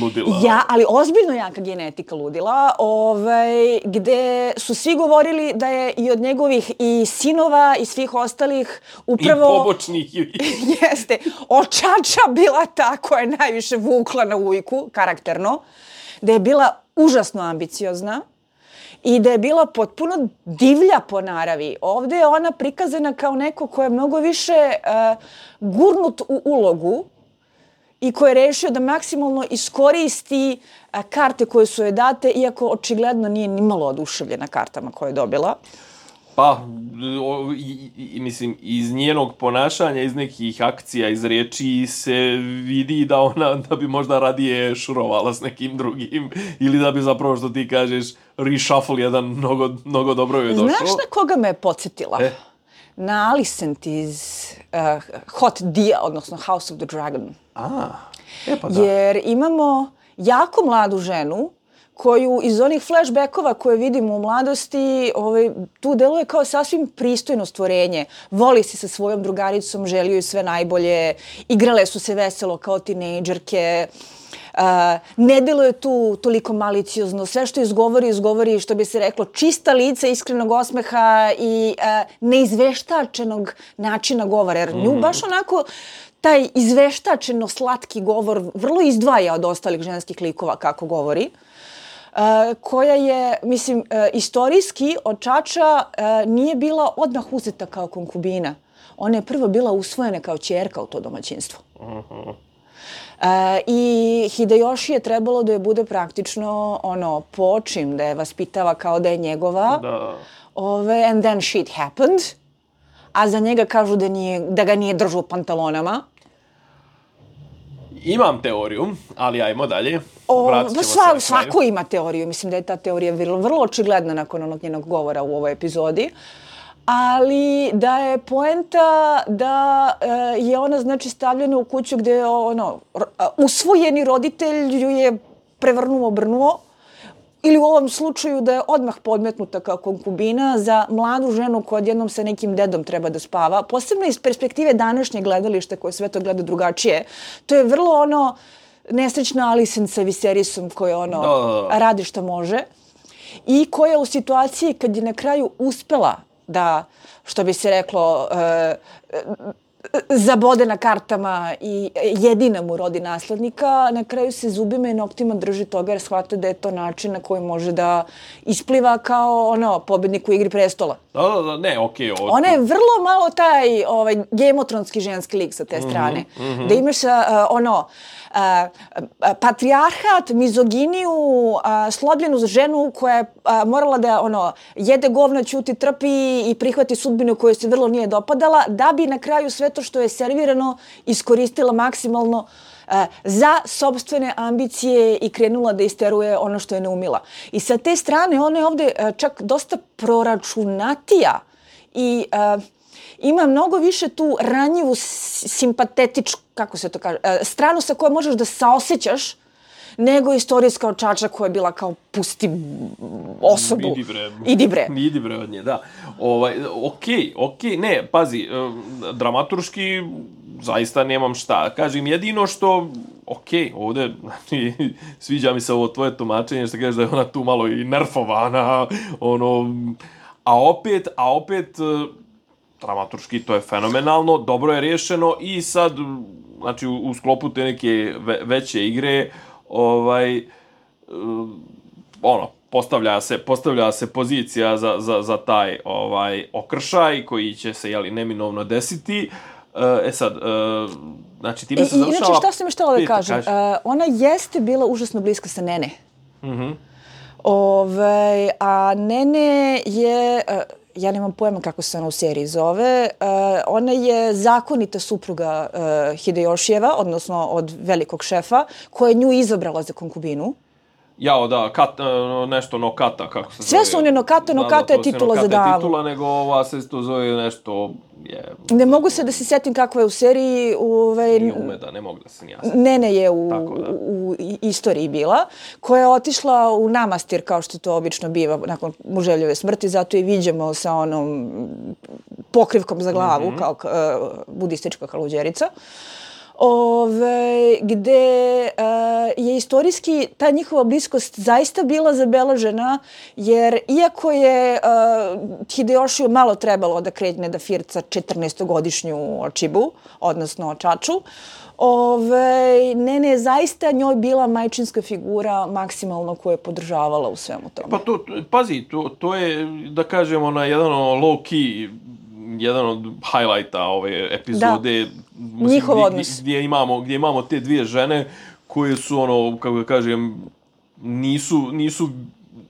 ludila. Ja, ali ozbiljno jaka genetika ludila, ovaj, gde su svi govorili da je i od njegovih i sinova i svih ostalih upravo... I pobočnih. Jeste, očača bila ta koja je najviše vukla na ujku, karakterno, da je bila užasno ambiciozna i da je bila potpuno divlja po naravi. Ovdje je ona prikazana kao neko ko je mnogo više uh, gurnut u ulogu i ko je rešio da maksimalno iskoristi uh, karte koje su joj date, iako očigledno nije nimalo oduševljena kartama koje je dobila. Pa, o, i, i, mislim, iz njenog ponašanja, iz nekih akcija, iz riječi se vidi da ona, da bi možda radije šurovala s nekim drugim, ili da bi zapravo, što ti kažeš, reshuffle jedan mnogo, mnogo dobro je došao. Znaš na koga me je podsjetila? E? Na Alicent iz uh, Hot Dia, odnosno House of the Dragon. A, e pa da. Jer imamo jako mladu ženu koju iz onih flashbackova koje vidimo u mladosti, ovaj, tu deluje kao sasvim pristojno stvorenje. Voli se sa svojom drugaricom, želi joj sve najbolje, igrale su se veselo kao tinejdžerke, uh, ne deluje tu toliko maliciozno, sve što izgovori, izgovori, što bi se reklo, čista lica, iskrenog osmeha i uh, neizveštačenog načina govora. Jer nju baš onako taj izveštačeno slatki govor vrlo izdvaja od ostalih ženskih likova kako govori. Uh, koja je, mislim, uh, istorijski od Čača uh, nije bila odmah uzeta kao konkubina. Ona je prvo bila usvojena kao ćerka u to domaćinstvo. Uh-huh. Uh, I Hideyoshi je trebalo da je bude praktično ono, počim, da je vaspitava kao da je njegova. Da. Ove, and then shit happened. A za njega kažu da, nije, da ga nije držao u pantalonama. Imam teoriju, ali ajmo dalje. O, sva, svako ima teoriju. Mislim da je ta teorija vrlo, vrlo očigledna nakon onog njenog govora u ovoj epizodi. Ali da je poenta da e, je ona znači stavljena u kuću gde je ono, usvojeni roditelj ju je prevrnuo, obrnuo. Ili u ovom slučaju da je odmah podmetnuta kao konkubina za mladu ženu koja odjednom sa nekim dedom treba da spava. Posebno iz perspektive današnjeg gledališta koje sve to gleda drugačije. To je vrlo ono nesrećna Alicent sa Viserisom koja ono da. radi što može. I koja u situaciji kad je na kraju uspela da, što bi se reklo, e, zabode na kartama i jedina mu rodi naslednika, na kraju se zubima i noktima drži toga jer shvata da je to način na koji može da ispliva kao ono, pobednik u Igri prestola. Da, da, da, ne, okej. Okay, Ona je vrlo malo taj ovaj, gemotronski ženski lik sa te strane. Mm-hmm. Da imaš uh, ono, uh, patrijarhat, mizoginiju, uh, slobljenu ženu koja je uh, morala da ono, jede govna, ćuti, trpi i prihvati sudbinu koju se vrlo nije dopadala, da bi na kraju sve to što je servirano iskoristila maksimalno uh, za sopstvene ambicije i krenula da isteruje ono što je ne umila. I sa te strane ona je ovde uh, čak dosta proračunatija i uh, ima mnogo više tu ranjivu, simpatetičku, kako se to kaže, uh, stranu sa kojom možeš da saosećaš nego istorijska od Čača koja je bila kao pusti osobu. Idi bre. Idi bre. Idi bre od nje, da. Ovaj, okej, okej, ne, pazi, dramaturški zaista nemam šta. Kažem, jedino što, okej, ovde, znači, sviđa mi se ovo tvoje tumačenje, što kažeš da je ona tu malo i nerfovana, ono, a opet, a opet, dramaturški to je fenomenalno, dobro je rješeno i sad, znači, u, u sklopu te neke ve, veće igre, ovaj, ono, postavlja se, postavlja se pozicija za, za, za taj ovaj okršaj koji će se, jeli, neminovno desiti. E sad, e, znači, time se završava... Inače, šta sam još htjela da kažem? Kaži. Uh, ona jeste bila užasno bliska sa Nene. Mhm. Ove, a Nene je... Uh, ja nemam pojma kako se ona u seriji zove, uh, ona je zakonita supruga uh, Hideyoshijeva, odnosno od velikog šefa, koja je nju izabrala za konkubinu. Jao, da, kat, nešto Nokata, kako se Sve zove. Sve su one Nokata, Nokata da, da, je titula za damu. Je titula, nego ova se to zove nešto... Je, ne mogu se da se setim kakva je u seriji. Ove, Nije Umeda, ne mogu da se nijasam. Nene je u, Tako, u, u istoriji bila, koja je otišla u namastir, kao što to obično biva nakon muževljove smrti, zato i viđamo sa onom pokrivkom za glavu, mm-hmm. kao uh, budistička haluđerica. Ove, gde uh, je istorijski ta njihova bliskost zaista bila zabeležena, jer iako je uh, Hideyoshiju malo trebalo da kregne da firca četrnaestogodišnju Očibu, odnosno Čaču, Ove, Nene je zaista njoj bila majčinska figura maksimalno koja je podržavala u svemu tome. Pa to, pazi, to, to je, da kažemo, na jedan low key, jedan od highlighta ove epizode. Da, njihov gdje, odnos. Gdje imamo, gdje imamo te dvije žene koje su, ono, kako da kažem, nisu, nisu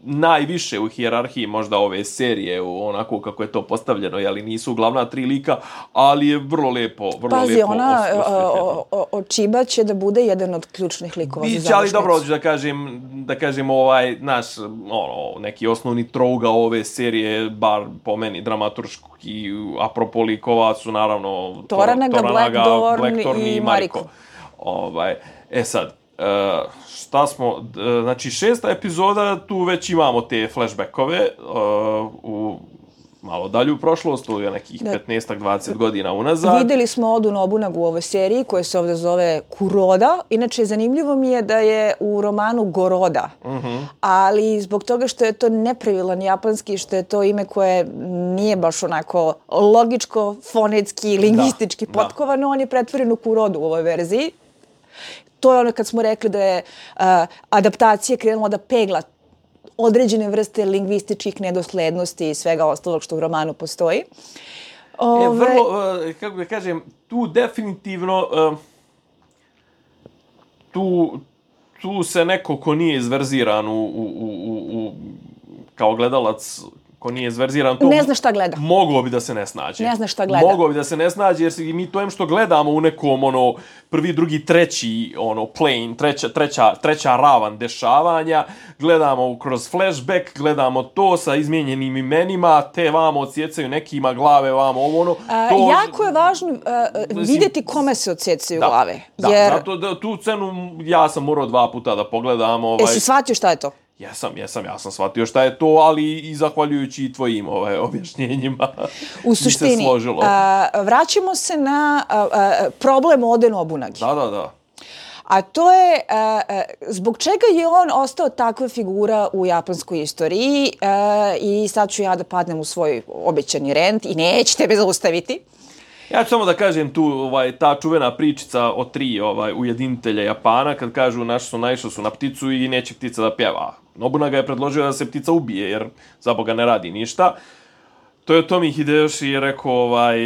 najviše u hijerarhiji možda ove serije, u onako kako je to postavljeno, jeli nisu glavna tri lika, ali je vrlo lepo, vrlo Pazi, lepo ona osvetljeno. Očiba će da bude jedan od ključnih likova za završnicu. Ali dobro, da kažem, da kažem ovaj naš ono, neki osnovni trougao ove serije, bar po meni dramaturški, apropo likova su naravno Toranaga, Blackthorn, Blackthorn i, i Mariko. Mariko. Ovaj, e sad, uh, šta smo, uh, znači šesta epizoda, tu već imamo te flashbackove uh, u malo dalju prošlost, to je nekih petnaest do dvadeset godina unazad. Videli smo Odu Nobunagu u ovoj seriji, koja se ovdje zove Kuroda. Inače, zanimljivo mi je da je u romanu Goroda. Uh-huh. Ali zbog toga što je to nepravilan japanski, što je to ime koje nije baš onako logičko, fonetski, lingvistički da, potkovano, da. On je pretvoren u Kurodu u ovoj verziji. To je ono kad smo rekli da je uh, adaptacija krenula da pegla određene vrste lingvističkih nedoslednosti i svega ostalog što u romanu postoji. Ove... E, vrlo, uh, kako da kažem, tu definitivno, uh, tu, tu se neko ko nije izverziran u, u, u, u, kao gledalac, ko nije izverziran, to ne zna šta gleda. Moglo bi da se ne snađe. Ne zna šta gleda. Moglo bi da se ne snađe, jer mi to em što gledamo u nekom, ono, prvi, drugi, treći, ono, plane, treća, treća, treća ravan dešavanja, gledamo kroz flashback, gledamo to sa izmijenjenim imenima, te vamo odsjecaju nekima glave, vamo ovo, ono. A, to... Jako je važno uh, vidjeti kome se odsjecaju da, glave. Da, jer... zato da, tu cenu ja sam morao dva puta da pogledam. Ovaj... Jesi shvatio šta je to? Jesam, jesam, ja sam shvatio šta je to, ali i zahvaljujući i tvojim ovaj, objašnjenjima u suštini, se složilo. A, vraćamo se na a, a, problem Ode Nobunagi. Da, da, da. A to je a, a, zbog čega je on ostao takva figura u japanskoj istoriji a, i sad ću ja da padnem u svoj obećani rent i nećete me zaustaviti. Ja ću samo da kažem tu, ovaj, ta čuvena pričica o tri ovaj, ujedinitelja Japana, kad kažu naši su naišli su na pticu i neće ptica da pjeva. Nobunaga je predložio da se ptica ubije, jer za Boga ne radi ništa. Toyotomi Hideyoshi rekao, ovaj,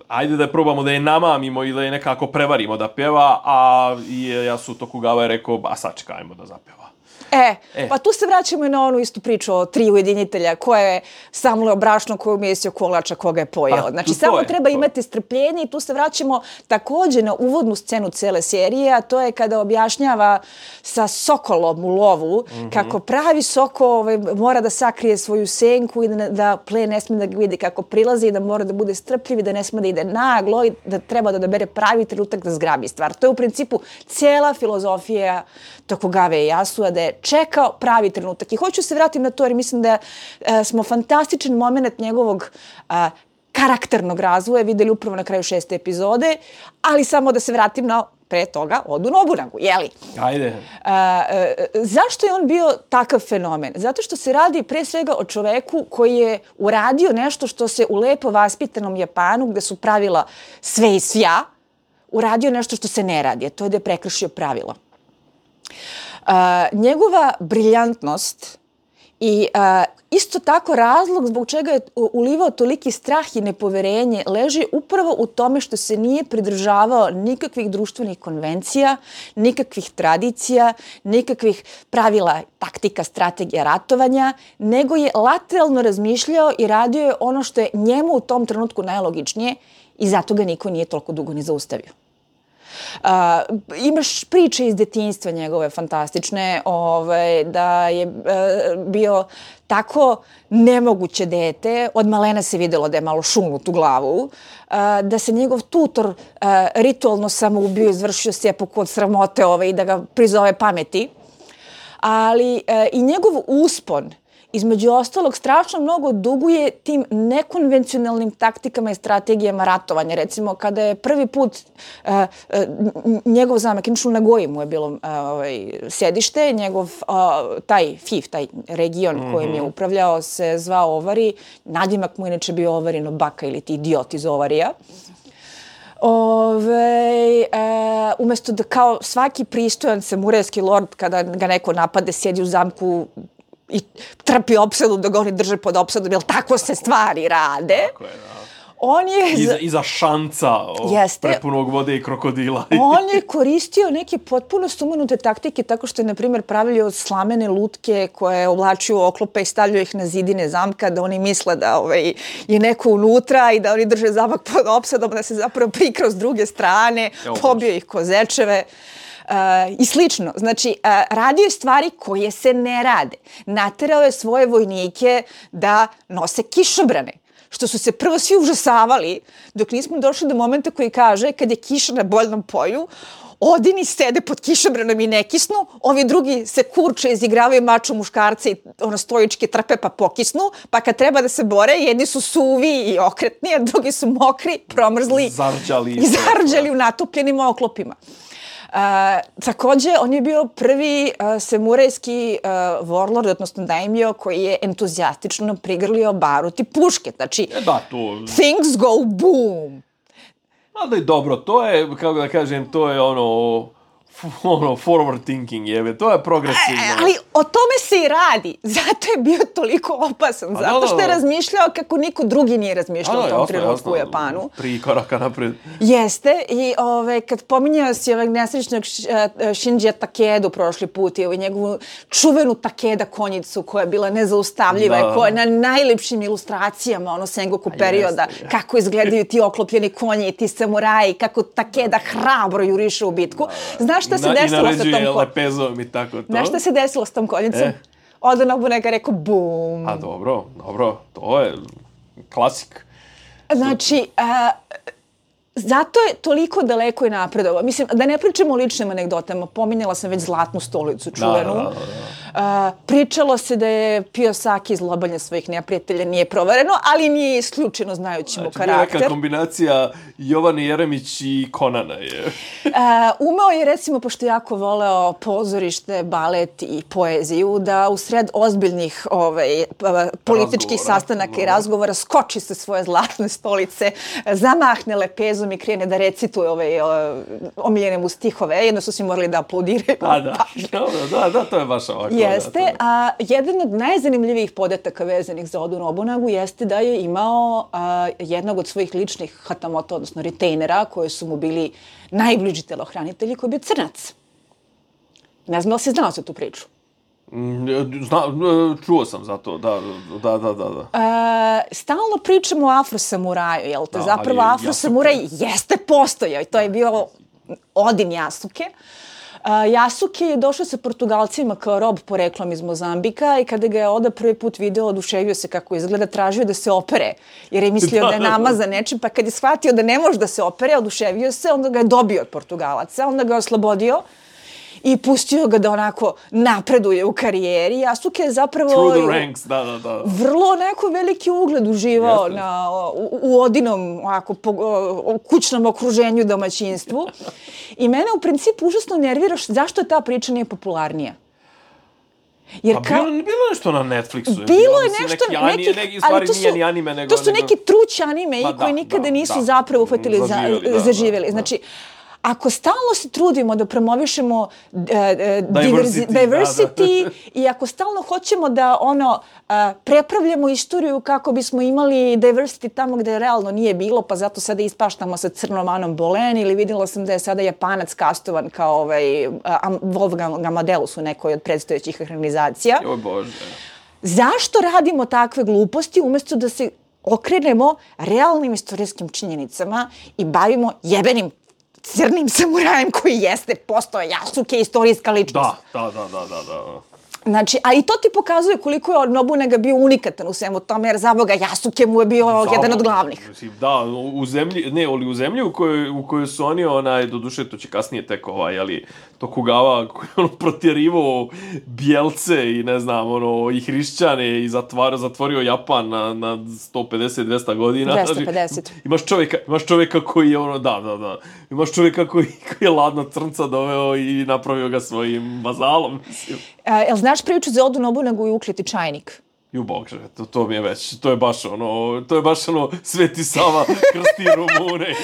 ajde da probamo da je namamimo i da je nekako prevarimo da pjeva, a Ieyasu Tokugawa je rekao, a sačekajmo da zapjeva. E, e, pa tu se vraćamo i na onu istu priču o tri ujedinitelja koje je samleo brašno koje umjesio kolača koga je pojeo. Pa, znači, samo je, treba to. imati strpljenje i tu se vraćamo također na uvodnu scenu cele serije, a to je kada objašnjava sa sokolom u lovu mm-hmm. kako pravi sokol ovaj, mora da sakrije svoju senku i da, da plen ne smije da ga vidi kako prilazi i da mora da bude strpljiv i da ne smije da ide naglo i da treba da odabere pravi trenutak da zgrabi stvar. To je u principu cijela filozofija Tokugawa Ieyasua, da je čekao pravi trenutak. I hoću se vratiti na to jer mislim da e, smo fantastičan moment njegovog a, karakternog razvoja videli upravo na kraju šeste epizode, ali samo da se vratim na pre toga Odu Nobunagu, jeli? Ajde. A, a, zašto je on bio takav fenomen? Zato što se radi pre svega o čoveku koji je uradio nešto što se u lepo vaspitanom Japanu, gde su pravila sve i svja, uradio nešto što se ne radi, a to je da je prekršio pravila. Uh, njegova briljantnost i uh, isto tako razlog zbog čega je ulivao toliki strah i nepoverenje leži upravo u tome što se nije pridržavao nikakvih društvenih konvencija, nikakvih tradicija, nikakvih pravila, taktika, strategija ratovanja, nego je lateralno razmišljao i radio je ono što je njemu u tom trenutku najlogičnije i zato ga niko nije toliko dugo ni zaustavio. Uh, imaš priče iz detinjstva njegove fantastične, ovaj, da je uh, bio tako nemoguće dete, od malena se vidjelo da je malo šunut u glavu, uh, da se njegov tutor uh, ritualno samoubio, izvršio seppuku od sramote ovaj, i da ga prizove pameti. Ali uh, i njegov uspon, između ostalog, strašno mnogo duguje tim nekonvencionalnim taktikama i strategijama ratovanja. Recimo, kada je prvi put uh, uh, njegov zamek, inače u Nagoji mu je bilo uh, ovaj, sedište, njegov uh, taj F I F, taj region mm-hmm. kojim je upravljao, se zvao Ovari. Nadimak mu inače bio Ovarino baka ili ti idiot iz Ovarija. Ove, e, umjesto da kao svaki pristojan samurajski lord kada ga neko napade, sjedi u zamku i trpi opsadu da ga oni drže pod opsadom, jer tako se stvari rade. Tako je, da. On je... Iza, iza šanca o, Jeste. prepunog vode i krokodila. On je koristio neke potpuno sumanute taktike tako što je, na primjer, pravio slamene lutke koje je oblačio u oklope i stavljao ih na zidine zamka da oni misle da ovaj, je neko unutra i da oni drže zamak pod opsadom, da se zapravo prikrao s druge strane, Evo, pobio ih kozečeve. Uh, i slično. Znači, uh, radio je stvari koje se ne rade. Naterao je svoje vojnike da nose kišobrane, što su se prvo svi užasavali, dok nismo došli do momenta koji kaže kad je kiša na boljnom polju, odini sede pod kišobranom i ne kisnu, ovi drugi se kurče, izigravaju maču muškarce i ono stojičke trpe pa pokisnu, pa kad treba da se bore, jedni su suvi i okretni, a drugi su mokri, promrzli zarđali i zarđali u natopljenim oklopima. Uh, takođe, on je bio prvi uh, samurajski uh, warlord, odnosno daimyo, koji je entuzijastično prigrlio barut i puške. Znači, e da, to... things go boom. Ali dobro, to je, kako da kažem, to je ono... ono, forward thinking, jebe, to je progresivno. E, ali o tome se i radi. Zato je bio toliko opasan. A zato da, što je razmišljao kako niko drugi nije razmišljao u tom trenutku u Japanu. Tri koraka napred. Jeste. I ove, kad pominjao si ovog nesrećnog Shinjija Takedu prošli put i ovaj njegovu čuvenu Takeda konjicu koja je bila nezaustavljiva da. I koja je na najlepšim ilustracijama ono Sengoku perioda, jeste, kako izgledaju ti oklopljeni konji i ti samuraji, kako Takeda hrabro juriše u bitku. Da. Znaš šta se desilo sa tom konjicom? I naređuje lepezom i tako to. Znaš šta se desilo s tom konjicom? E? Oda Nobunaga rekao bum. A dobro, dobro, to je klasik. Znači, a, zato je toliko daleko i napredovao. Mislim, da ne pričamo o ličnim anegdotama, pominjala sam već Zlatnu stolicu čuvenu. Da, da, da, da. A, pričalo se da je pio sake iz lobalja svojih neprijatelja, nije provereno, ali nije isključeno znajući mu karakter. Znači, neka kombinacija Jovane Jeremić i Konana je. A, umeo je, recimo, pošto jako voleo pozorište, balet i poeziju, da u sred ozbiljnih ovaj, političkih razgovora, sastanaka da. I razgovora skoči sa svoje zlatne stolice, zamahne lepezom i krene da recituje ove omiljene mu stihove. Jedno su svi morali da aplaudiraju. Da, da, da, da, to je baš ovako. Jeste, da, a jedan od najzanimljivijih podataka vezanih za Odu Nobunagu jeste da je imao a, jednog od svojih ličnih hatamoto, odnosno retainera, koji su mu bili najbliži telohranitelji, koji je bio crnac. Ne znam da li si znao za tu priču? Zna, čuo sam za to, da, da, da, da. da. E, stalno pričamo o afrosamuraju, jel te? Da, zapravo afrosamuraj jeste postojao i to je bio Odin Yasuke. Uh, Yasuke je došao sa Portugalcima kao rob poreklom iz Mozambika i kada ga je Oda prvi put video, oduševio se kako izgleda, tražio da se opere, jer je mislio da, da je namazan nečim, pa kad je shvatio da ne može da se opere, oduševio se, onda ga je dobio od Portugalaca, onda ga je oslobodio i pustio ga da onako napreduje u karijeri. Yasuke je zapravo Through the ranks, da, da, da. Vrlo neko veliki ugled uživao Jeste. na, u, u Odinom ovako, po, o, kućnom okruženju, domaćinstvu. I mene u principu užasno nervira zašto ta priča nije popularnija. Jer ka... bilo, bilo nešto na Netflixu. Bilo, bilo je nešto, neki, ani, nekih, neki, stvari nije ni anime, nego... To su nego... neki trući anime i koji da, nikada da, nisu da. zapravo uhvatili, zaživjeli. Za, zaživjeli. Da, znači, ako stalno se trudimo da promovišemo uh, diversity, diversity da, da. I ako stalno hoćemo da ono uh, prepravljamo istoriju kako bismo imali diversity tamo gde realno nije bilo, pa zato sada ispaštamo sa crnom Anom Bolen, ili vidjela sam da je sada Japanac kastovan kao ovaj, uh, Wolfgang Amadeus u nekoj od predstojećih ekranizacija. O Bože. Zašto radimo takve gluposti umjesto da se okrenemo realnim istorijskim činjenicama i bavimo jebenim crnim samurajem koji jeste postao Yasuke, istorijska ličnost. Da, da, da, da, da. Znači, a i to ti pokazuje koliko je Nobunaga bio unikatan u svemu tome, jer za Boga Yasuke mu je bio Zaboga, jedan od glavnih. Mislim, da, u zemlji, ne, ali u zemlji u kojoj, u kojoj su oni, onaj, doduše, to će kasnije tek ovaj, ali Tokugawa koji je ono protjerivao Bijelce i ne znam, ono, i hrišćane i zatvor, zatvorio Japan na, na sto pedeset do dvesta godina. dvesta pedeset. Znači, imaš čovjeka, imaš čovjeka koji je ono, da, da, da, imaš čovjeka koji, koji je ladno crnca doveo i napravio ga svojim vazalom, mislim. Uh, jel znaš priču za Odu Nobunagu i ukleti čajnik? Ju Bože, to, to mi je već, to je baš ono, to je baš ono, Sveti Sava krsti Rumune.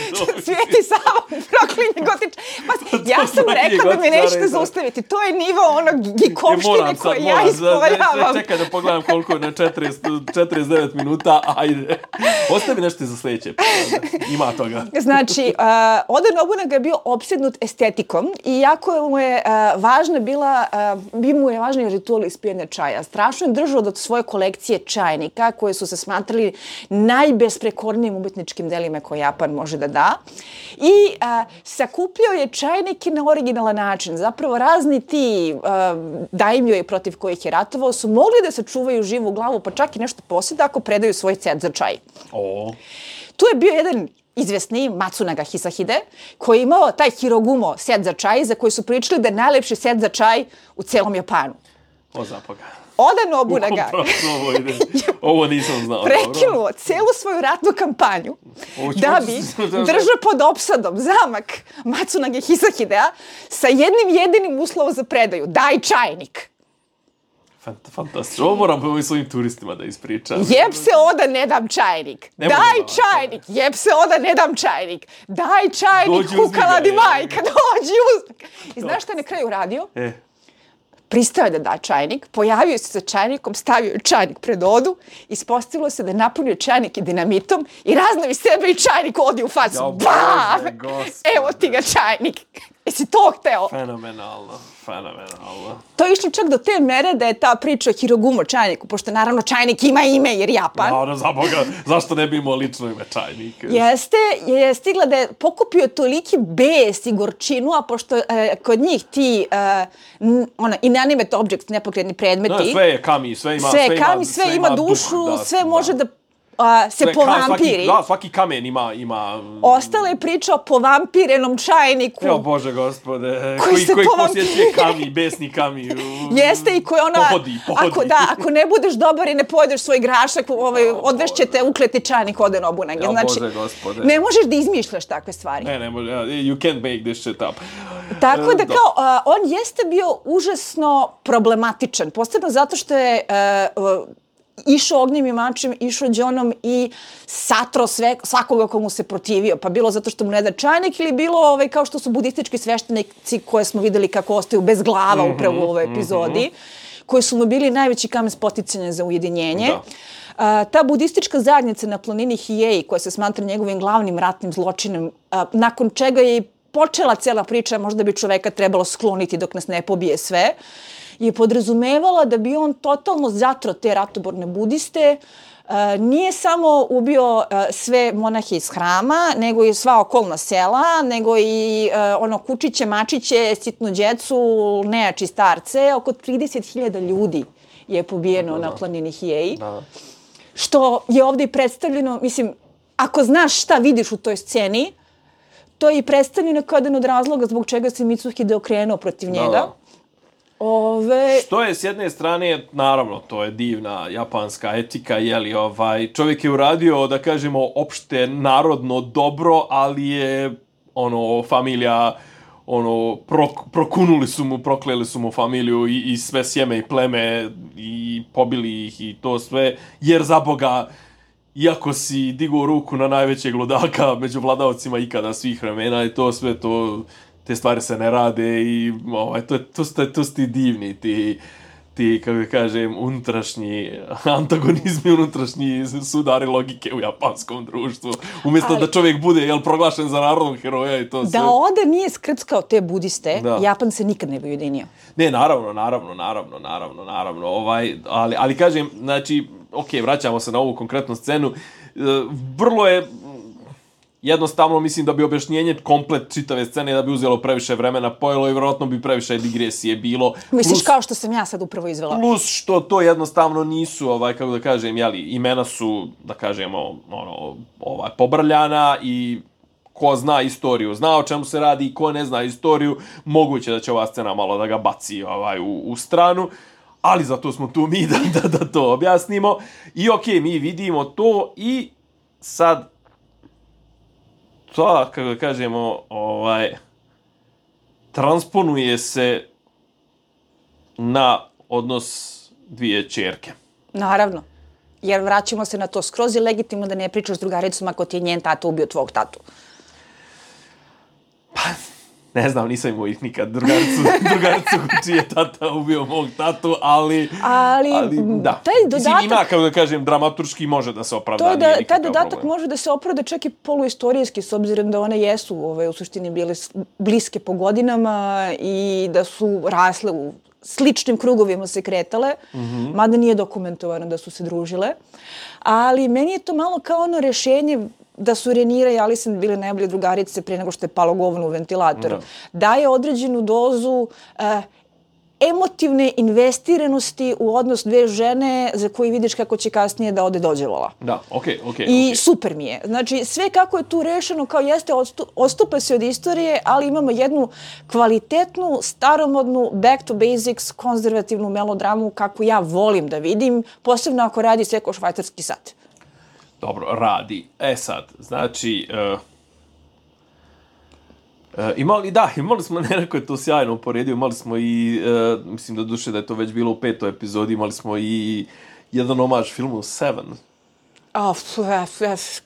Sveti Sava proklinje gotiča. Pa, ja sam rekla da me nećete zaustaviti. To je nivo onog gikovštine koje ja ispovaljavam. Čekaj da pogledam koliko je na četrdeset devet minuta, ajde. Ostavi nešto za sljedeće. Ima toga. Znači, uh, Oda Nobunaga je bio opsednut estetikom i jako mu je uh, važna bila, uh, bi mu je važni ritual ispijanja čaja. Strašno je držao do svoje kolekcije čajnika koje su se smatrali najbesprekornijim umetničkim delima koje Japan može da da. I a, sakupljao je čajnike na originalan način. Zapravo razni ti daimjoji protiv kojih je ratovao su mogli da sačuvaju živu glavu, pa čak i nešto posjeda ako predaju svoj set za čaj. O. Tu je bio jedan izvesni Matsunaga Hisahide, koji je imao taj Hirogumo set za čaj, za koji su pričali da je najlepši set za čaj u celom Japanu. O zapoga. Oda Nobunaga ovo, ide. Ovo nisam znao. Prekinuo dobro. celu svoju ratnu kampanju da bi držao pod opsadom zamak Matsunage Hisahidea sa jednim jedinim uslovom za predaju. Daj čajnik. Fantastično. Ovo moram ovim svojim turistima da ispričam. Jeb se Oda, ne dam čajnik. Ne Daj čajnik. Jeb se Oda, ne dam čajnik. Daj čajnik, kukala di majka. Dođi uzmi. I znaš šta je na kraju uradio? E. Pristao je da da čajnik, pojavio se sa čajnikom, stavio je čajnik pred Odu, ispostavilo se da je napunio čajnik i dinamitom i raznavi sebe i čajnik Odi u facu. Ja, Bam! Evo ti ga čajnik. Jesi to hteo? Fenomenalno, fenomenalno. To je išlo čak do te mere da je ta priča o Hirogumo čajniku, pošto naravno čajnik ima ime jer Japan. Naravno, za Boga, zašto ne bi imao lično ime čajnik? Jeste, je stigla da je pokupio toliki bes i gorčinu, a pošto e, kod njih ti e, n, ona, inanimate objects, nepokretni predmeti. No, sve je kami, sve ima, sve, sve kami, ima, sve, sve ima ima dušu, duh, da, sve da. može da a, se sve, povampiri. Svaki, da, svaki kamen ima... ima... Ostala je priča o povampirenom čajniku. Jo, Bože gospode, koji, koji, koji povampiri. posjećuje kami, besni kami. Jeste i koji ona... Pohodi, pohodi. Ako, da, ako ne budeš dobar i ne pojedeš svoj grašak, ovaj, odvešćete ukleti čajnik Ode Nobunage. Jo, znači, Bože gospode. ne možeš da izmišljaš takve stvari. Ne, ne može, you can't make this shit up. Tako da E, kao, uh, on jeste bio užasno problematičan, posebno zato što je uh, uh, išao ognjem i mačem, išao đonom i satro sve, svakoga komu se protivio. Pa bilo zato što mu ne da čajnik ili bilo ovaj, kao što su budistički sveštenici koje smo videli kako ostaju bez glava mm-hmm, upravo u ovoj epizodi, mm-hmm. koji su mu bili najveći kamen spoticanja za ujedinjenje. Da. A, ta budistička zajednica na planini Hiei, koja se smatra njegovim glavnim ratnim zločinom, a, nakon čega je i počela cela priča, možda bi čoveka trebalo skloniti dok nas ne pobije sve, je podrazumevala da bi on totalno zatro te ratoborne budiste. Uh, nije samo ubio uh, sve monahe iz hrama, nego i sva okolna sela, nego i uh, ono kučiće, mačiće, sitnu djecu, nejači starce. Oko trideset hiljada ljudi je pobijeno da, na planini Hiei. Da. Što je ovdje i predstavljeno, mislim, ako znaš šta vidiš u toj sceni, to je i predstavljeno kao jedan od razloga zbog čega se Mitsuhide okrenuo protiv njega. Da. Ove... Što je s jedne strane, naravno, to je divna japanska etika, jeli, ovaj, čovjek je uradio, da kažemo, opšte narodno dobro, ali je, ono, familija, ono, prok, prokunuli su mu, prokleli su mu familiju i, i sve sjeme i pleme i pobili ih i to sve, jer za Boga, iako si digao ruku na najvećeg ludaka među vladavcima ikada svih vremena i to sve, to... te stvari se ne rade i ovaj, to, to, to, to su ti divni, ti, ti, kako kažem, unutrašnji antagonizmi, unutrašnji sudari logike u japanskom društvu. Umjesto Ali, da čovjek bude jel, proglašen za narodnog heroja i to sve. Da Oda nije skrckao te budiste, da. Japan se nikad ne bi ujedinio. Ne, naravno, naravno, naravno, naravno, naravno. Ovaj, ali, ali kažem, znači, ok, vraćamo se na ovu konkretnu scenu. Vrlo je... Jednostavno mislim da bi objašnjenje komplet čitave scene da bi uzelo previše vremena pojelo i vjerojatno bi previše digresije bilo. Misliš plus, kao što sam ja sad upravo izvela? Plus što to jednostavno nisu, ovaj, kako da kažem, jeli, imena su, da kažemo, ono, ovaj, pobrljana i ko zna istoriju, zna o čemu se radi i ko ne zna istoriju, moguće da će ova scena malo da ga baci ovaj, u, u stranu. Ali zato smo tu mi da, da, da to objasnimo. I okej, okay, mi vidimo to i sad to, kako kažemo, ovaj, transponuje se na odnos dvije ćerke. Naravno. Jer vraćamo se na to. Skroz je legitimno da ne pričaš s drugaricom ako ti je njen tata ubio tvog tatu. Pa, ne znam, nisam imao ih nikad drugaricu, drugaricu čiji je tata ubio mog tatu, ali... Ali, ali da. Taj dodatak... Mislim, ima, kako da kažem, dramaturški može da se opravda. To je da, taj dodatak problem. može da se opravda čak i poluistorijski, s obzirom da one jesu ovaj, u suštini bile bliske po godinama i da su rasle u sličnim krugovima se kretale, mm-hmm. mada nije dokumentovano da su se družile. Ali meni je to malo kao ono rešenje da su Renira i Alison bile najbolje drugarice prije nego što je palo govno u ventilator. No. Daje određenu dozu uh, emotivne investiranosti u odnos dve žene za koji vidiš kako će kasnije da ode dođevola. Da, okej, okay, okej. Okay, I okay. super mi je. Znači, sve kako je tu rešeno, kao jeste, odstu, odstupa se od istorije, ali imamo jednu kvalitetnu, staromodnu, back to basics, konzervativnu melodramu kakvu ja volim da vidim, posebno ako radi sve ko švajcarski sat. Dobro, radi. E sad, znači... Uh... Uh, imali, da, imali smo, neko je to sjajno uporedio, imali smo i, uh, mislim da duše da je to već bilo u petoj epizodi, imali smo i jedan omaž filmu Seven. Oh,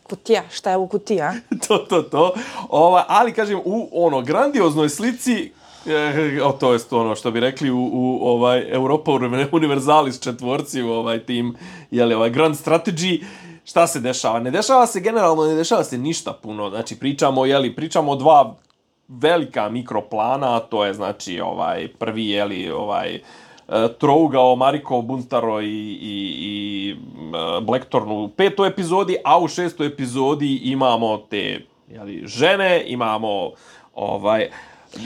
kutija, šta je u kutija? to, to, to. Ova, ali, kažem, u ono, grandioznoj slici, eh, o, to je ono što bi rekli u, u ovaj, Europa Universalis četvorci, u ovaj tim, jeli, ovaj Grand Strategy, šta se dešava? Ne dešava se generalno, ne dešava se ništa puno, znači pričamo, jeli, pričamo o dva velika mikroplana, to je znači ovaj prvi je li ovaj trougao Mariko Buntaro i i i Blackthorn u petoj epizodi, a u šestoj epizodi imamo te je li žene, imamo ovaj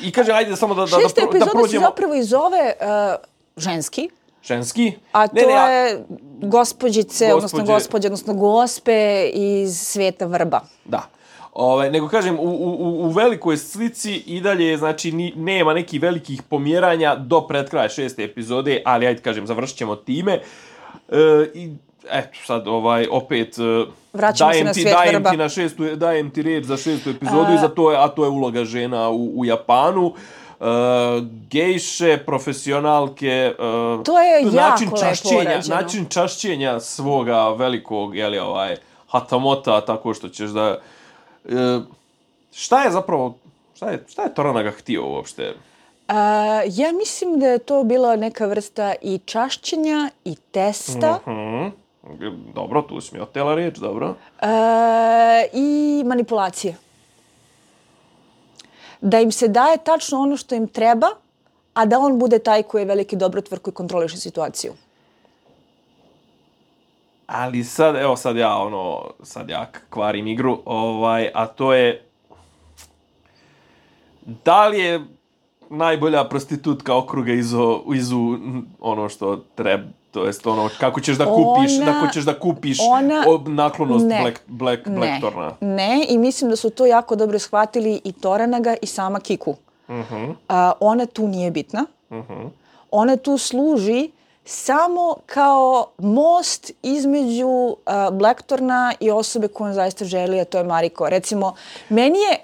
i kaže ajde samo da da Šesta da, da prođemo. Se zapravo i zove uh, ženski. Ženski? A to ne, ne, a... je gospođice, Gospođe... odnosno gospođe, odnosno gospe iz sveta vrba. Da. Ovaj, nego kažem, u, u, u velikoj slici i dalje, znači, ni, nema nekih velikih pomjeranja do pred kraja šeste epizode, ali ajde kažem, završit ćemo time. E, I, eto, sad, ovaj, opet, vraćamo dajem se na ti, svijet dajem vrba. Ti na šestu, dajem ti red za šestu epizodu, a... i za to je, a to je uloga žena u, u Japanu. Uh, gejše, profesionalke, uh, to je način jako čašćenja, lepo urađeno. način čašćenja svoga velikog, jeli, ovaj, hatamota, tako što ćeš da... Uh, šta je zapravo, šta je, šta je Toranaga htio uopšte? Uh, ja mislim da je to bila neka vrsta i čašćenja i testa. Mm-hmm. Dobro, tu si mi otela riječ, dobro. Uh, I manipulacije. Da im se daje tačno ono što im treba, a da on bude taj koji je veliki dobrotvor koji kontroliše situaciju. Ali sad, evo sad ja, ono, sad ja kvarim igru, ovaj, a to je, da li je najbolja prostitutka okruga izu, izu ono što treba, to jest ono, kako ćeš da kupiš, ona, kako ćeš da kupiš ona, naklonost ne, Black, Black, ne, Blackthorna. Ne, i mislim da su to jako dobro shvatili i Toranaga i sama Kiku. Uh-huh. Uh, ona tu nije bitna. Uh-huh. Ona tu služi samo kao most između uh, Blackthorna i osobe koju on zaista želi, a to je Mariko. Recimo, meni je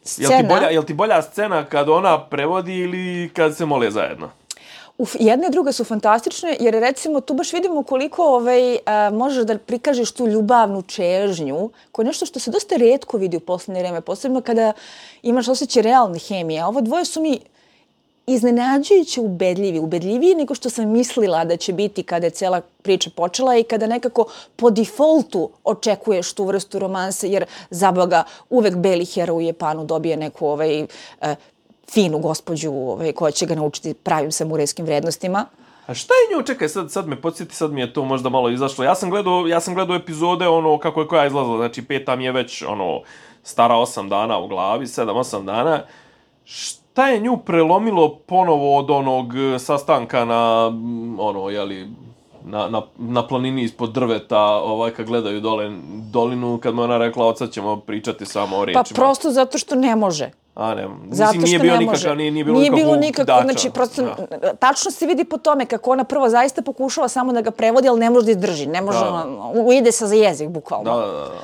scena... Jel ti bolja, jel ti bolja scena kad ona prevodi ili kad se mole zajedno? Uf, jedna i druga su fantastične, jer recimo tu baš vidimo koliko ovaj, a, možeš da prikažeš tu ljubavnu čežnju, koja je nešto što se dosta retko vidi u poslednje vreme, posebno kada imaš osjećaj realne hemije. A ovo dvoje su mi iznenađujuće ubedljivi, ubedljiviji nego što sam mislila da će biti kada je cela priča počela i kada nekako po defaultu očekuješ tu vrstu romanse, jer zaboga uvek beli heroj u Japanu dobije neku ovaj, uh, finu gospođu ovaj, koja će ga naučiti pravim samurajskim vrednostima. A šta je nju? Čekaj, sad, sad me podsjeti, sad mi je to možda malo izašlo. Ja sam gledao, ja sam gledao epizode, ono, kako je koja izlazila, znači peta mi je već, ono, stara osam dana u glavi, sedam, osam dana. Šta je nju prelomilo ponovo od onog sastanka na, ono, jeli, na, na, na planini ispod drveta, ovaj, kad gledaju dole dolinu, kad mu ona rekla, od sad ćemo pričati samo o rečima? Pa prosto zato što ne može. A ne, zato mislim, nije što bio ne nikakav, može. nije, nije bilo nije bilo nikakvog nikako, dača. znači prosto, ja. Tačno se vidi po tome kako ona prvo zaista pokušava samo da ga prevodi, ali ne može da izdrži, ne može, da. ujede se za jezik, bukvalno. Da, da, da.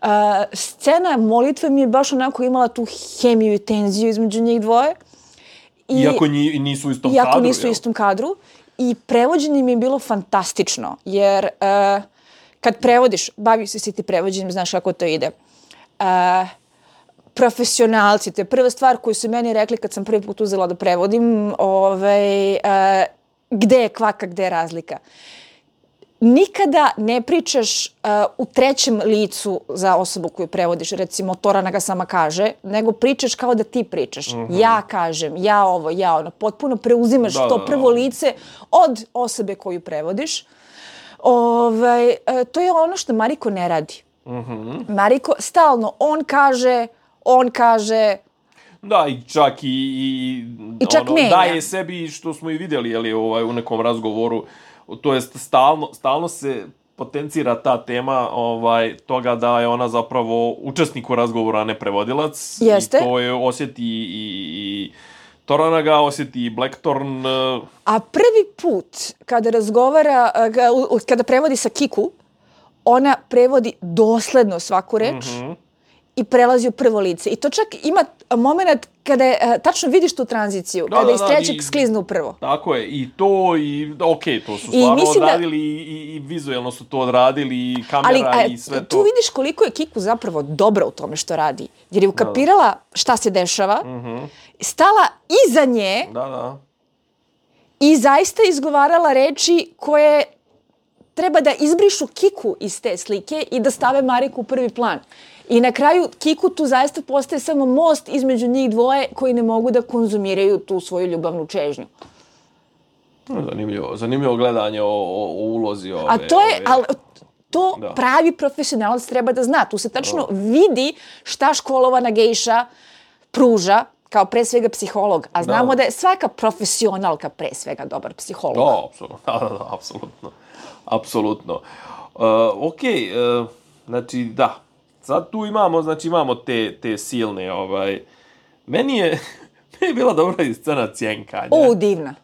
Uh, scena molitve mi je baš onako imala tu hemiju i tenziju između njih dvoje. I, iako nisu u istom iako kadru. Iako nisu u istom kadru. i prevođenje mi je bilo fantastično, jer uh, kad prevodiš, bavio si se ti prevođenjem, znaš kako to ide. Uh, profesionalci, to je prva stvar koju su meni rekli kad sam prvi put uzela da prevodim, ovaj, uh, gde je kvaka, gde je razlika. Nikada ne pričaš uh, u trećem licu za osobu koju prevodiš, recimo Torana ga sama kaže, nego pričaš kao da ti pričaš. Mm-hmm. Ja kažem, ja ovo, ja ono, potpuno preuzimaš da, to da, prvo da. lice od osobe koju prevodiš. Ovaj, uh, to je ono što Mariko ne radi. Mm-hmm. Mariko stalno, on kaže, on kaže... Da, i čak i, i, I čak ono, daje sebi, što smo i vidjeli jeli, ovaj, u nekom razgovoru, to jest stalno, stalno se potencira ta tema ovaj, toga da je ona zapravo učesnik u razgovoru, a ne prevodilac. Jeste. I to je osjeti i, i Torana ga, osjeti i Blackthorn. A prvi put kada razgovara, kada prevodi sa Kiku, ona prevodi dosledno svaku reč. Mm-hmm. I prelazi u prvo lice. I to čak ima moment kada je, uh, tačno vidiš tu tranziciju, da, kada da, iz trećeg da, sklizne u prvo. Tako je. I to, i ok, to su stvarno odradili da, i, i vizualno su to odradili, i kamera ali, i sve to. Tu vidiš koliko je Kiku zapravo dobra u tome što radi. Jer je ukapirala da, da. šta se dešava, mm-hmm. stala iza nje da, da. i zaista izgovarala reči koje treba da izbrišu Kiku iz te slike i da stave Mariku u prvi plan. I na kraju Kiku tu zaista postaje samo most između njih dvoje koji ne mogu da konzumiraju tu svoju ljubavnu čežnju. Zanimljivo, zanimljivo gledanje o, o, o ulozi ove. A to je, ove... ali to da. pravi profesionalac treba da zna. Tu se tačno da. vidi šta školovana gejša pruža kao pre svega psiholog. A znamo da, da je svaka profesionalka pre svega dobar psiholog. Da, apsolutno. Da, da, da, apsolutno. Apsolutno. Uh, ok, uh, znači da. Sad tu imamo, znači imamo te, te silne, ovaj... Meni je, meni je bila dobra i scena cjenkanja. O, divna.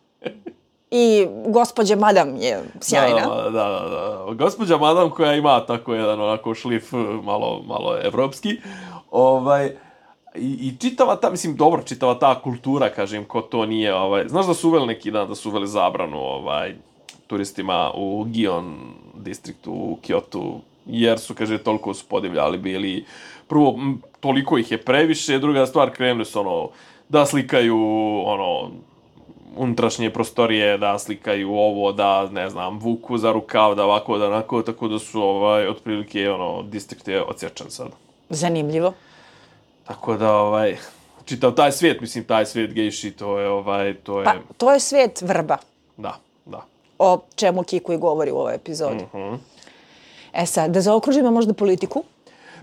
I gospođa Madam je sjajna. Da, da, da, da. Gospođa Madam koja ima tako jedan onako šlif malo, malo evropski. Ovaj, i, I čitava ta, mislim, dobro, čitava ta kultura, kažem, ko to nije, ovaj... Znaš da su uveli neki dan, da su uveli zabranu, ovaj, turistima u Gion distriktu, u Kyotu, jer su, kaže, toliko su podivljali bili. Prvo, m, toliko ih je previše, druga stvar, krenuli su, ono, da slikaju, ono, unutrašnje prostorije, da slikaju ovo, da, ne znam, vuku za rukav, da ovako, da onako, tako da su, ovaj, otprilike, ono, distrikt je odsječan sad. Zanimljivo. Tako da, ovaj, čitav taj svijet, mislim, taj svijet gejši, to je, ovaj, to je... Pa, to je svijet vrba. Da, da. O čemu Kiku i govori u ovoj epizodi. Mhm. E sad, da zaokružimo možda politiku.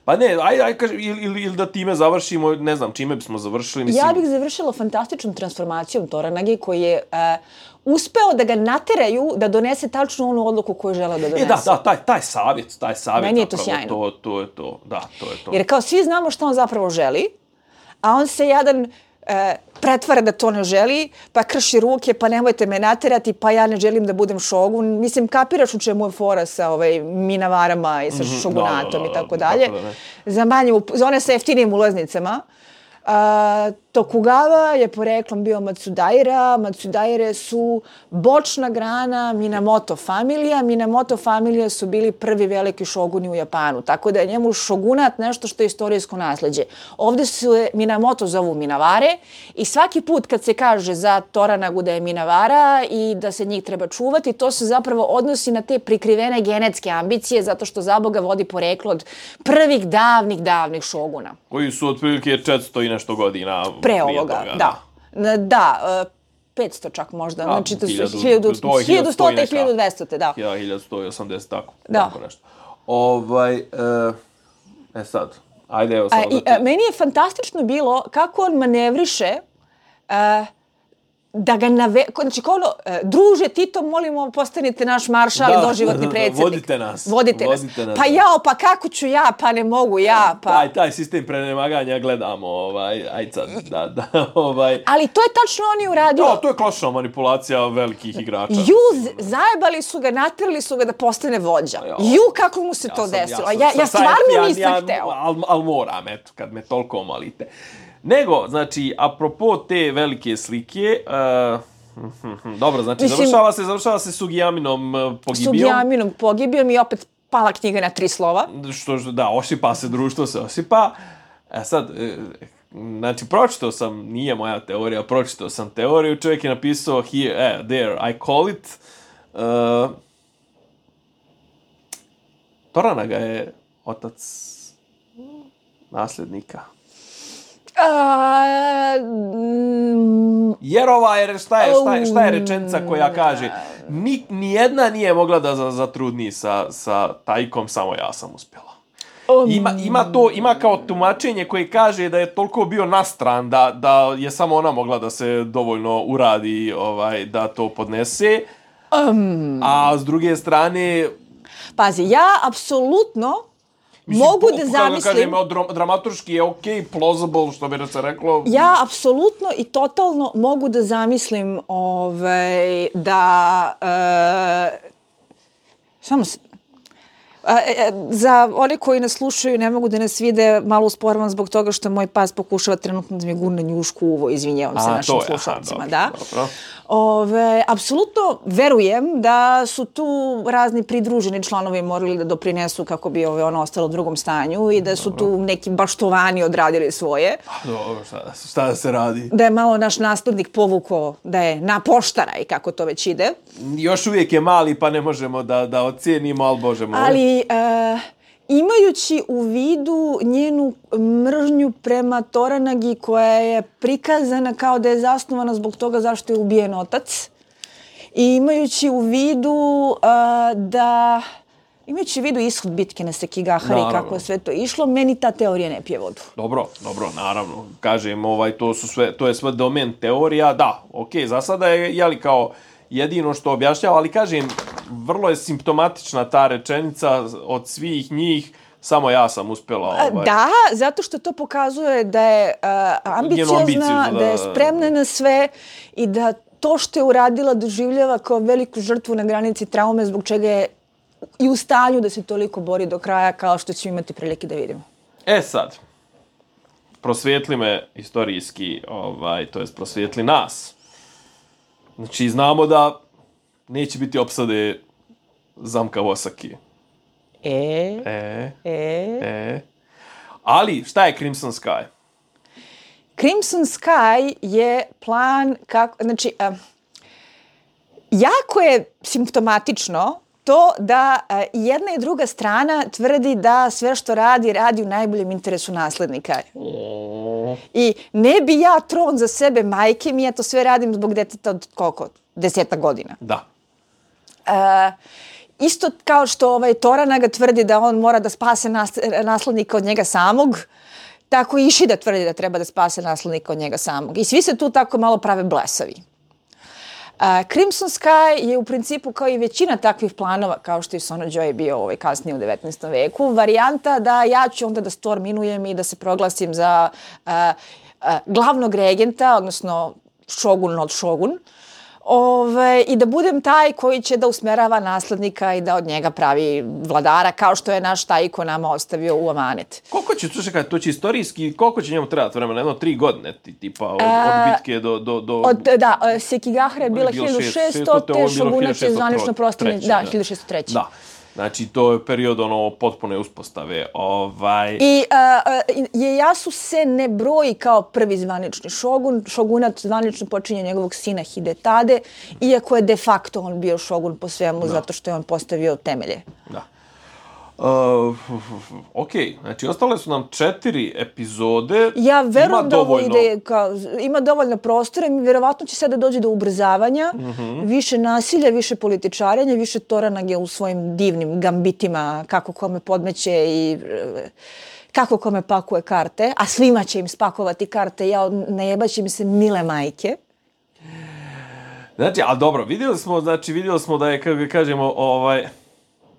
Pa ne, aj, aj, kaži, ili, ili, ili da time završimo, ne znam, čime bismo završili, mislim... Ja bih završila fantastičnom transformacijom Toranage koji je uh, uspeo da ga nateraju da donese tačno onu odluku koju žele da donese. E da, da, taj, taj savjet, taj savjet. Meni je to sjajno. To, to je to, da, to je to. Jer kao svi znamo što on zapravo želi, a on se jedan... E, pretvara da to ne želi, pa krši ruke, pa nemojte me naterati, pa ja ne želim da budem šogun. Mislim, kapiraš u čemu je fora sa ovaj, minavarama i sa mm-hmm, šogunatom da, da, da, i tako dalje. Da, za, manje, za one sa jeftinim ulaznicama. A, Tokugawa je poreklom bio Matsudaira. Matsudaire su bočna grana Minamoto familija. Minamoto familija su bili prvi veliki šoguni u Japanu. Tako da je njemu šogunat nešto što je istorijsko nasljeđe. Ovdje se Minamoto zovu Minavare i svaki put kad se kaže za Toranagu da je Minavara i da se njih treba čuvati, to se zapravo odnosi na te prikrivene genetske ambicije zato što za Boga vodi poreklo od prvih davnih, davnih šoguna. Koji su otprilike četiristo i nešto godina pre ovoga, toga, da. Da, da uh, petsto čak možda. A, znači, to su hiljadu sto i hiljadu dvesta, da. hiljadu sto osamdeset, tako. Da. Tako nešto. Ovaj, uh, e sad, ajde, evo sad. A, i, a, meni je fantastično bilo kako on manevriše uh, da ga nave... Znači, kao ono, druže Tito, molimo, postanite naš maršal i doživotni predsjednik. Vodite nas. Vodite, vodite nas. nas. Pa jao, pa kako ću ja, pa ne mogu ja, pa... Taj, taj sistem prenemaganja gledamo, ovaj, aj sad, da, da, ovaj... Ali to je tačno oni uradilo. Da, to je klasična manipulacija velikih igrača. Ju, zajebali su ga, natrili su ga da postane vođa. Ja, Ju, kako mu se ja to sam, desilo. Ja, ja, ja stvarno ja, nisam ja, hteo. Al, al moram, eto, kad me toliko molite. Nego, znači, apropo te velike slike, uh, Dobro, znači Mislim, završava se, završava se Sugiyaminom pogibijom. Sugiyaminom pogibijom i opet pala knjiga na tri slova. Što, da, osipa se, društvo se osipa. E sad, znači, pročitao sam, nije moja teorija, pročitao sam teoriju, čovjek je napisao here, eh, there, I call it. Uh, Toranaga je otac nasljednika. Uh, mm, Jer ova je, šta je, šta je, šta je rečenica koja kaže, ni, nijedna nije mogla da zatrudni sa, sa Tajkom, samo ja sam uspjela. Ima, ima to, ima kao tumačenje koje kaže da je toliko bio nastran da, da je samo ona mogla da se dovoljno uradi, ovaj, da to podnese. Um, a s druge strane... Pazi, ja apsolutno Mislim, mogu po, da zamislim... Kažem, dramaturški je okej, okay, plausible, što bi se reklo. Ja apsolutno i totalno mogu da zamislim ovaj, da... Uh, samo se... A, e, za one koji nas slušaju, ne mogu da nas vide, malo usporavam zbog toga što moj pas pokušava trenutno da mi gurne njušku u uvo, izvinjavam se našim slušalcima. Aha, da. Dobro. Ove, apsolutno verujem da su tu razni pridruženi članovi morali da doprinesu kako bi ove, ono ostalo u drugom stanju i da su dobro. Tu neki baštovani odradili svoje. Dobro, šta, šta da se radi? Da je malo naš naslednik povukao da je na poštaraj, kako to već ide. Još uvijek je mali pa ne možemo da, da ocijenimo, ali Bože moj. Ali uh, imajući u vidu njenu mržnju prema Toranagi koja je prikazana kao da je zasnovana zbog toga zašto je ubijen otac i imajući u vidu uh, da imajući u vidu ishod bitke na Sekigahara i kako je sve to išlo, meni ta teorija ne pije vodu. Dobro, dobro, naravno. Kažem, ovaj, to, su sve, to je sve domen teorija. Da, okej, okay, za sada je, jeli kao jedino što objašnjava, ali kažem, vrlo je simptomatična ta rečenica od svih njih, samo ja sam uspjela. Ovaj. Da, zato što to pokazuje da je uh, ambiciozna, da... da je spremna na sve i da to što je uradila doživljava kao veliku žrtvu na granici traume, zbog čega je i u stanju da se toliko bori do kraja, kao što ćemo imati prilike da vidimo. E sad, prosvijetli me istorijski, ovaj, to jest prosvijetli nas. Znači, znamo da neće biti opsade zamka Osaki. E? E? E? E? Ali, šta je Crimson Sky? Crimson Sky je plan kako... Znači, uh, jako je simptomatično to da uh, jedna i druga strana tvrdi da sve što radi, radi u najboljem interesu naslednika. Oh. I ne bi ja tron za sebe majke mi, ja to sve radim zbog deteta od koliko? Deseta godina. Da. Uh, isto kao što ovaj Toranaga tvrdi da on mora da spase nas, naslednika od njega samog, tako i Ishida tvrdi da treba da spase naslednika od njega samog. I svi se tu tako malo prave blesavi. Uh, Crimson Sky je u principu kao i većina takvih planova, kao što je Sono Joy bio ovaj, kasnije u devetnaestom veku, varijanta da ja ću onda da storminujem i da se proglasim za uh, uh, glavnog regenta, odnosno šogun od šogun, Ove, i da budem taj koji će da usmerava naslednika i da od njega pravi vladara, kao što je naš Taiko nama ostavio u amanet. Koliko će, slušaj, to će istorijski, koliko će njemu trebati vremena? Jedno tri godine, tipa, od, od bitke do... do, do... Od, da, Sekigahara je bila hiljadu šeststo, te Šogunat je zvanično prostorni, da, hiljadu šeststo treće. Da. Znači, to je period ono potpune uspostave. Ovaj... I uh, Ieyasu se ne broji kao prvi zvanični šogun. Šogunat zvanično počinje njegovog sina Hidetade, iako je de facto on bio šogun po svemu, da. Zato što je on postavio temelje. Da. Uh, ok, znači ostale su nam četiri epizode. Ja verujem da ovo ide, kao, ima dovoljno prostora i vjerovatno će sada dođe do ubrzavanja, mm-hmm. više nasilja, više političarenja, više Toranage u svojim divnim gambitima, kako kome podmeće i kako kome pakuje karte, a svima će im spakovati karte, ja najebaće im se mile majke. Znači, a dobro, vidjeli smo, znači, vidjeli smo da je, kako kažemo, ovaj...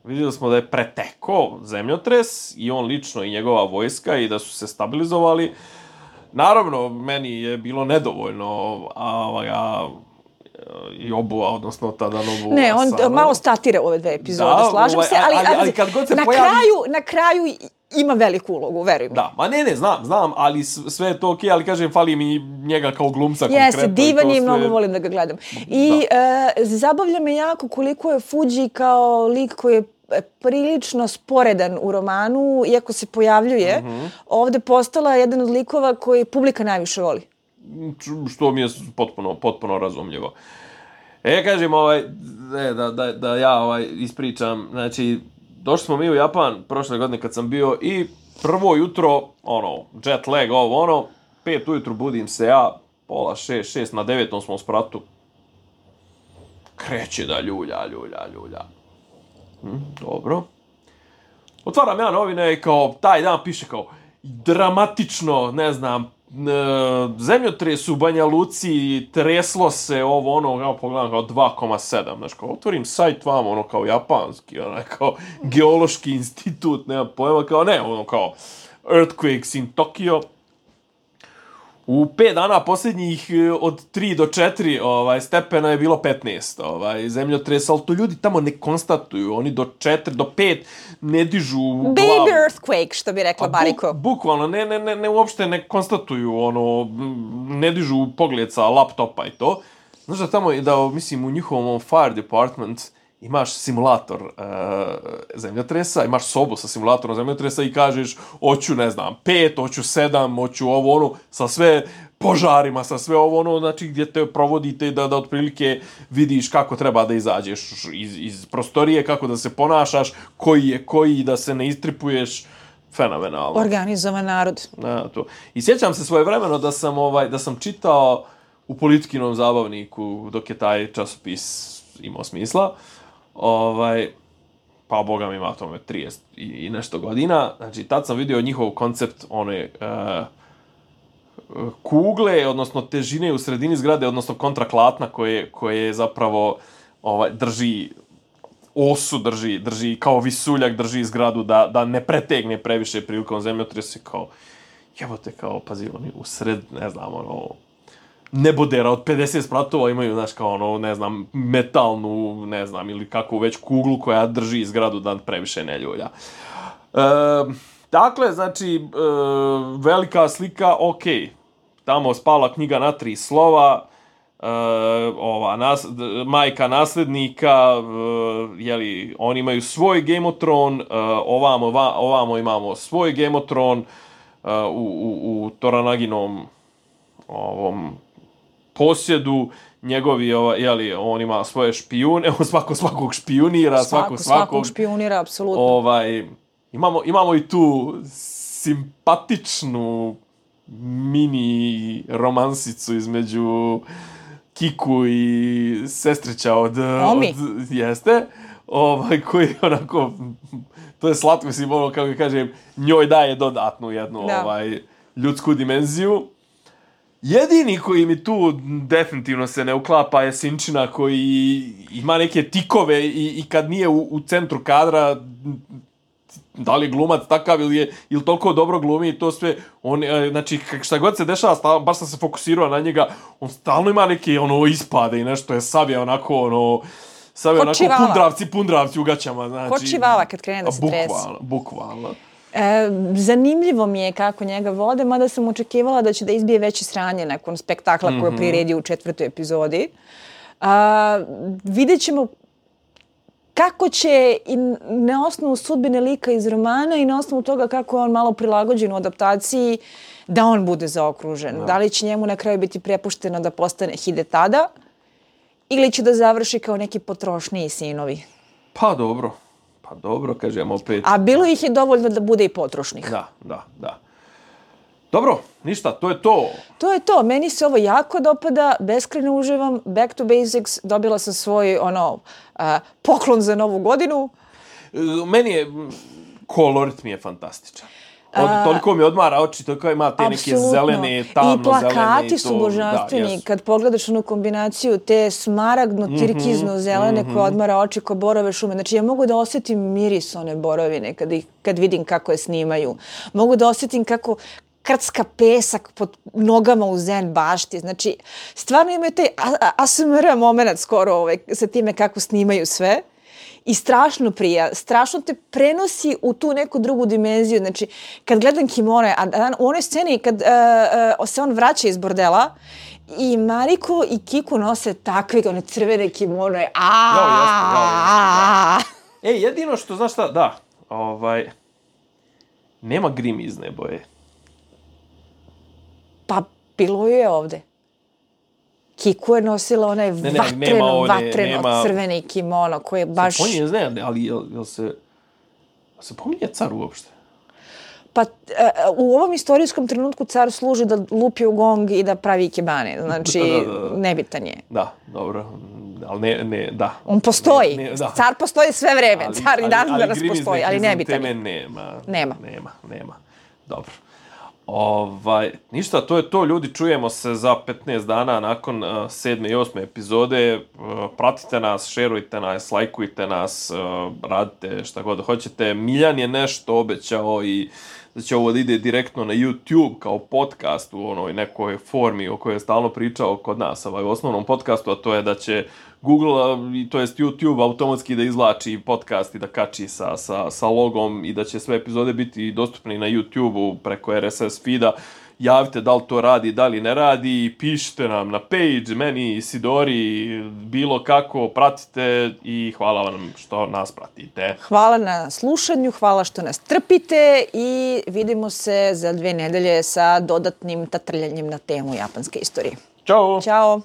Vidjeli smo da je preteko zemljotres i on lično i njegova vojska i da su se stabilizovali. Naravno, meni je bilo nedovoljno a, a, i obuva, odnosno tada novu Ne, on Asano. Malo statira ove dve epizode, da, slažem ovaj, se, ali, ali, ali kad god se na, pojavi... kraju, na kraju ima veliku ulogu, veruj mi. Da, ma ne, ne, znam, znam, ali sve je to okej, okay, ali kažem, fali mi njega kao glumca konkretno. Jeste, divan je i mnogo volim da ga gledam. I da. E, zabavlja me jako koliko je Fuji kao lik koji je prilično sporedan u romanu, iako se pojavljuje, mm-hmm. ovde postala jedan od likova koji publika najviše voli. Što mi je potpuno, potpuno razumljivo. E, kažem, ovaj, e, da, da, da ja ovaj, ispričam, znači, došli smo mi u Japan prošle godine kad sam bio i prvo jutro, ono, jet lag, ovo, ono, pet ujutru budim se ja, pola šest, šest na devetom smo u spratu. Kreće da ljulja, ljulja, ljulja. Hm, dobro. Otvaram ja novine i kao, taj dan piše kao, dramatično, ne znam, zemljotres u Banja Luci, treslo se ovo, ono, kao pogledam, kao dva zarez sedam, znaš, kao, otvorim sajt vam, ono, kao japanski, ono, kao, geološki institut, nema pojma, kao, ne, ono, kao, earthquakes in Tokyo. U pet dana posljednjih od tri do četiri ovaj, stepena je bilo petnaest ovaj, zemljotresa, ali to ljudi tamo ne konstatuju. Oni do četiri, do pet ne dižu glavu. Baby earthquake, što bi rekla Bariko. Bu, bukvalno, ne, ne, ne, ne, uopšte ne konstatuju, ono, ne dižu pogled sa laptopa i to. Znaš da tamo, da, mislim, u njihovom fire department imaš simulator uh, zemljotresa, imaš sobu sa simulatorom zemljotresa i kažeš, hoću, ne znam, pet, hoću sedam, hoću ovo, ono, sa sve požarima, sa sve ovo, ono, znači, gdje te provodite da, da otprilike vidiš kako treba da izađeš iz, iz prostorije, kako da se ponašaš, koji je koji, da se ne istripuješ, fenomenalno. Organizovan narod. Ja, to. I sjećam se svojevremeno da sam, ovaj, da sam čitao u Politikinom zabavniku, dok je taj časopis imao smisla, ovaj, pa boga mi ima tome trideset i, i nešto godina, znači tad sam vidio njihov koncept one uh, kugle, odnosno težine u sredini zgrade, odnosno kontraklatna koje, koje zapravo ovaj, drži osu, drži, drži kao visuljak, drži zgradu da, da ne pretegne previše prilikom zemljotresa, kao jebote, kao, pazi, oni u sred, ne znam, ono, nebodera od pedeset spratova imaju, znaš, kao ono, ne znam, metalnu, ne znam, ili kakvu već kuglu koja drži zgradu da previše ne ljulja. E, dakle, znači, e, velika slika, okej. Okay. Tamo spala knjiga na tri slova, e, ova, nas, majka naslednika, e, jeli, oni imaju svoj Game of Thrones, e, ovamo, va, ovamo imamo svoj Game of Thrones, e, u, u, u Toranaginom ovom posjedu, njegovi, jeli, on ima svoje špijune, on svako svakog špijunira, svako, svako svakog... Svakog špijunira, apsolutno. Ovaj, imamo, imamo i tu simpatičnu mini romansicu između Kiku i sestrića od... Omi. Od, jeste, ovaj, koji onako... To je slatko, mislim, ono, kako kažem, njoj daje dodatnu jednu da. ovaj, ljudsku dimenziju. Jedini koji mi tu definitivno se ne uklapa je Sinčina koji ima neke tikove i, i kad nije u, u centru kadra, da li je glumac takav ili je ili toliko dobro glumi i to sve, on, znači šta god se dešava, stav, baš sam se fokusirao na njega, on stalno ima neke ono ispade i nešto je sav onako ono, sav je onako pundravci, pundravci u gaćama. Znači, ko čivala kad krene da se trese. Bukvalno, bukvalno. E, zanimljivo mi je kako njega vode, mada sam očekivala da će da izbije veće sranje nakon spektakla mm-hmm. koje priredi u četvrtoj epizodi. A, vidjet ćemo kako će i na osnovu sudbine lika iz romana i na osnovu toga kako je on malo prilagođen u adaptaciji da on bude zaokružen. Da, da li će njemu na kraju biti prepušteno da postane Hidetada ili će da završi kao neki potrošniji sinovi? Pa dobro. Pa dobro, kažem opet. A bilo ih je dovoljno da bude i potrošnih. Da, da, da. Dobro, ništa, to je to. To je to. Meni se ovo jako dopada, beskrajno uživam. Back to Basics, dobila sam svoj ono, uh, poklon za novu godinu. Meni je, kolorit mi je fantastičan. Od, toliko mi odmara oči, toliko ima te neke zelene, tamno zelene. I plakati su božanstveni. Da, kad pogledaš onu kombinaciju te smaragdno-tirkizno-zelene mm-hmm. koje odmara oči ko borove šume. Znači ja mogu da osjetim miris one borovine kad, ih, kad vidim kako je snimaju. Mogu da osjetim kako krcka pesak pod nogama u zen bašti. Znači stvarno imaju taj A S M R moment skoro ovaj, sa time kako snimaju sve. i strašno prija, strašno te prenosi u tu neku drugu dimenziju. Znači, kad gledam kimono, a u onoj sceni kad uh, uh, se on vraća iz bordela i Mariko i Kiku nose takve, one crvene kimonoje. Jao, jasno, jao, jasno, da. E, jedino što, znaš šta, da, ovaj, nema grimizne boje. Pa, bilo je ovde. Kiku je nosila onaj ne, ne, vatreno, one, vatreno nema... crveni kimono koji je baš... Se pominje, ne znam, ali jel, jel se... Jel se pominje car uopšte? Pa u ovom istorijskom trenutku car služi da lupi u gong i da pravi ikebane. Znači, da, da, da. Nebitan je. Da, dobro. Ali ne, ne, da. On postoji. Ne, ne, da. Car postoji sve vreme. Ali, car i dan danas postoji, ali nebitan je. Teme nema. Nema. Nema, nema. Dobro. Ovaj, ništa, to je to, ljudi, čujemo se za petnaest dana nakon uh, sedme i osme epizode. Uh, pratite nas, šerujte nas, lajkujte nas, uh, radite šta god hoćete. Miljan je nešto obećao i da će ovo da ide direktno na YouTube kao podcast u onoj nekoj formi o kojoj je stalno pričao kod nas, ovaj, u osnovnom podcastu, a to je da će Google, to jest YouTube, automatski da izvlači podcast i da kači sa, sa, sa logom i da će sve epizode biti dostupni na YouTube-u preko R S S feeda. Javite da li to radi, da li ne radi, pišite nam na page, meni, Sidori, bilo kako, pratite i hvala vam što nas pratite. Hvala na slušanju, hvala što nas trpite i vidimo se za dve nedelje sa dodatnim tatrljanjem na temu japanske istorije. Ćao! Ćao!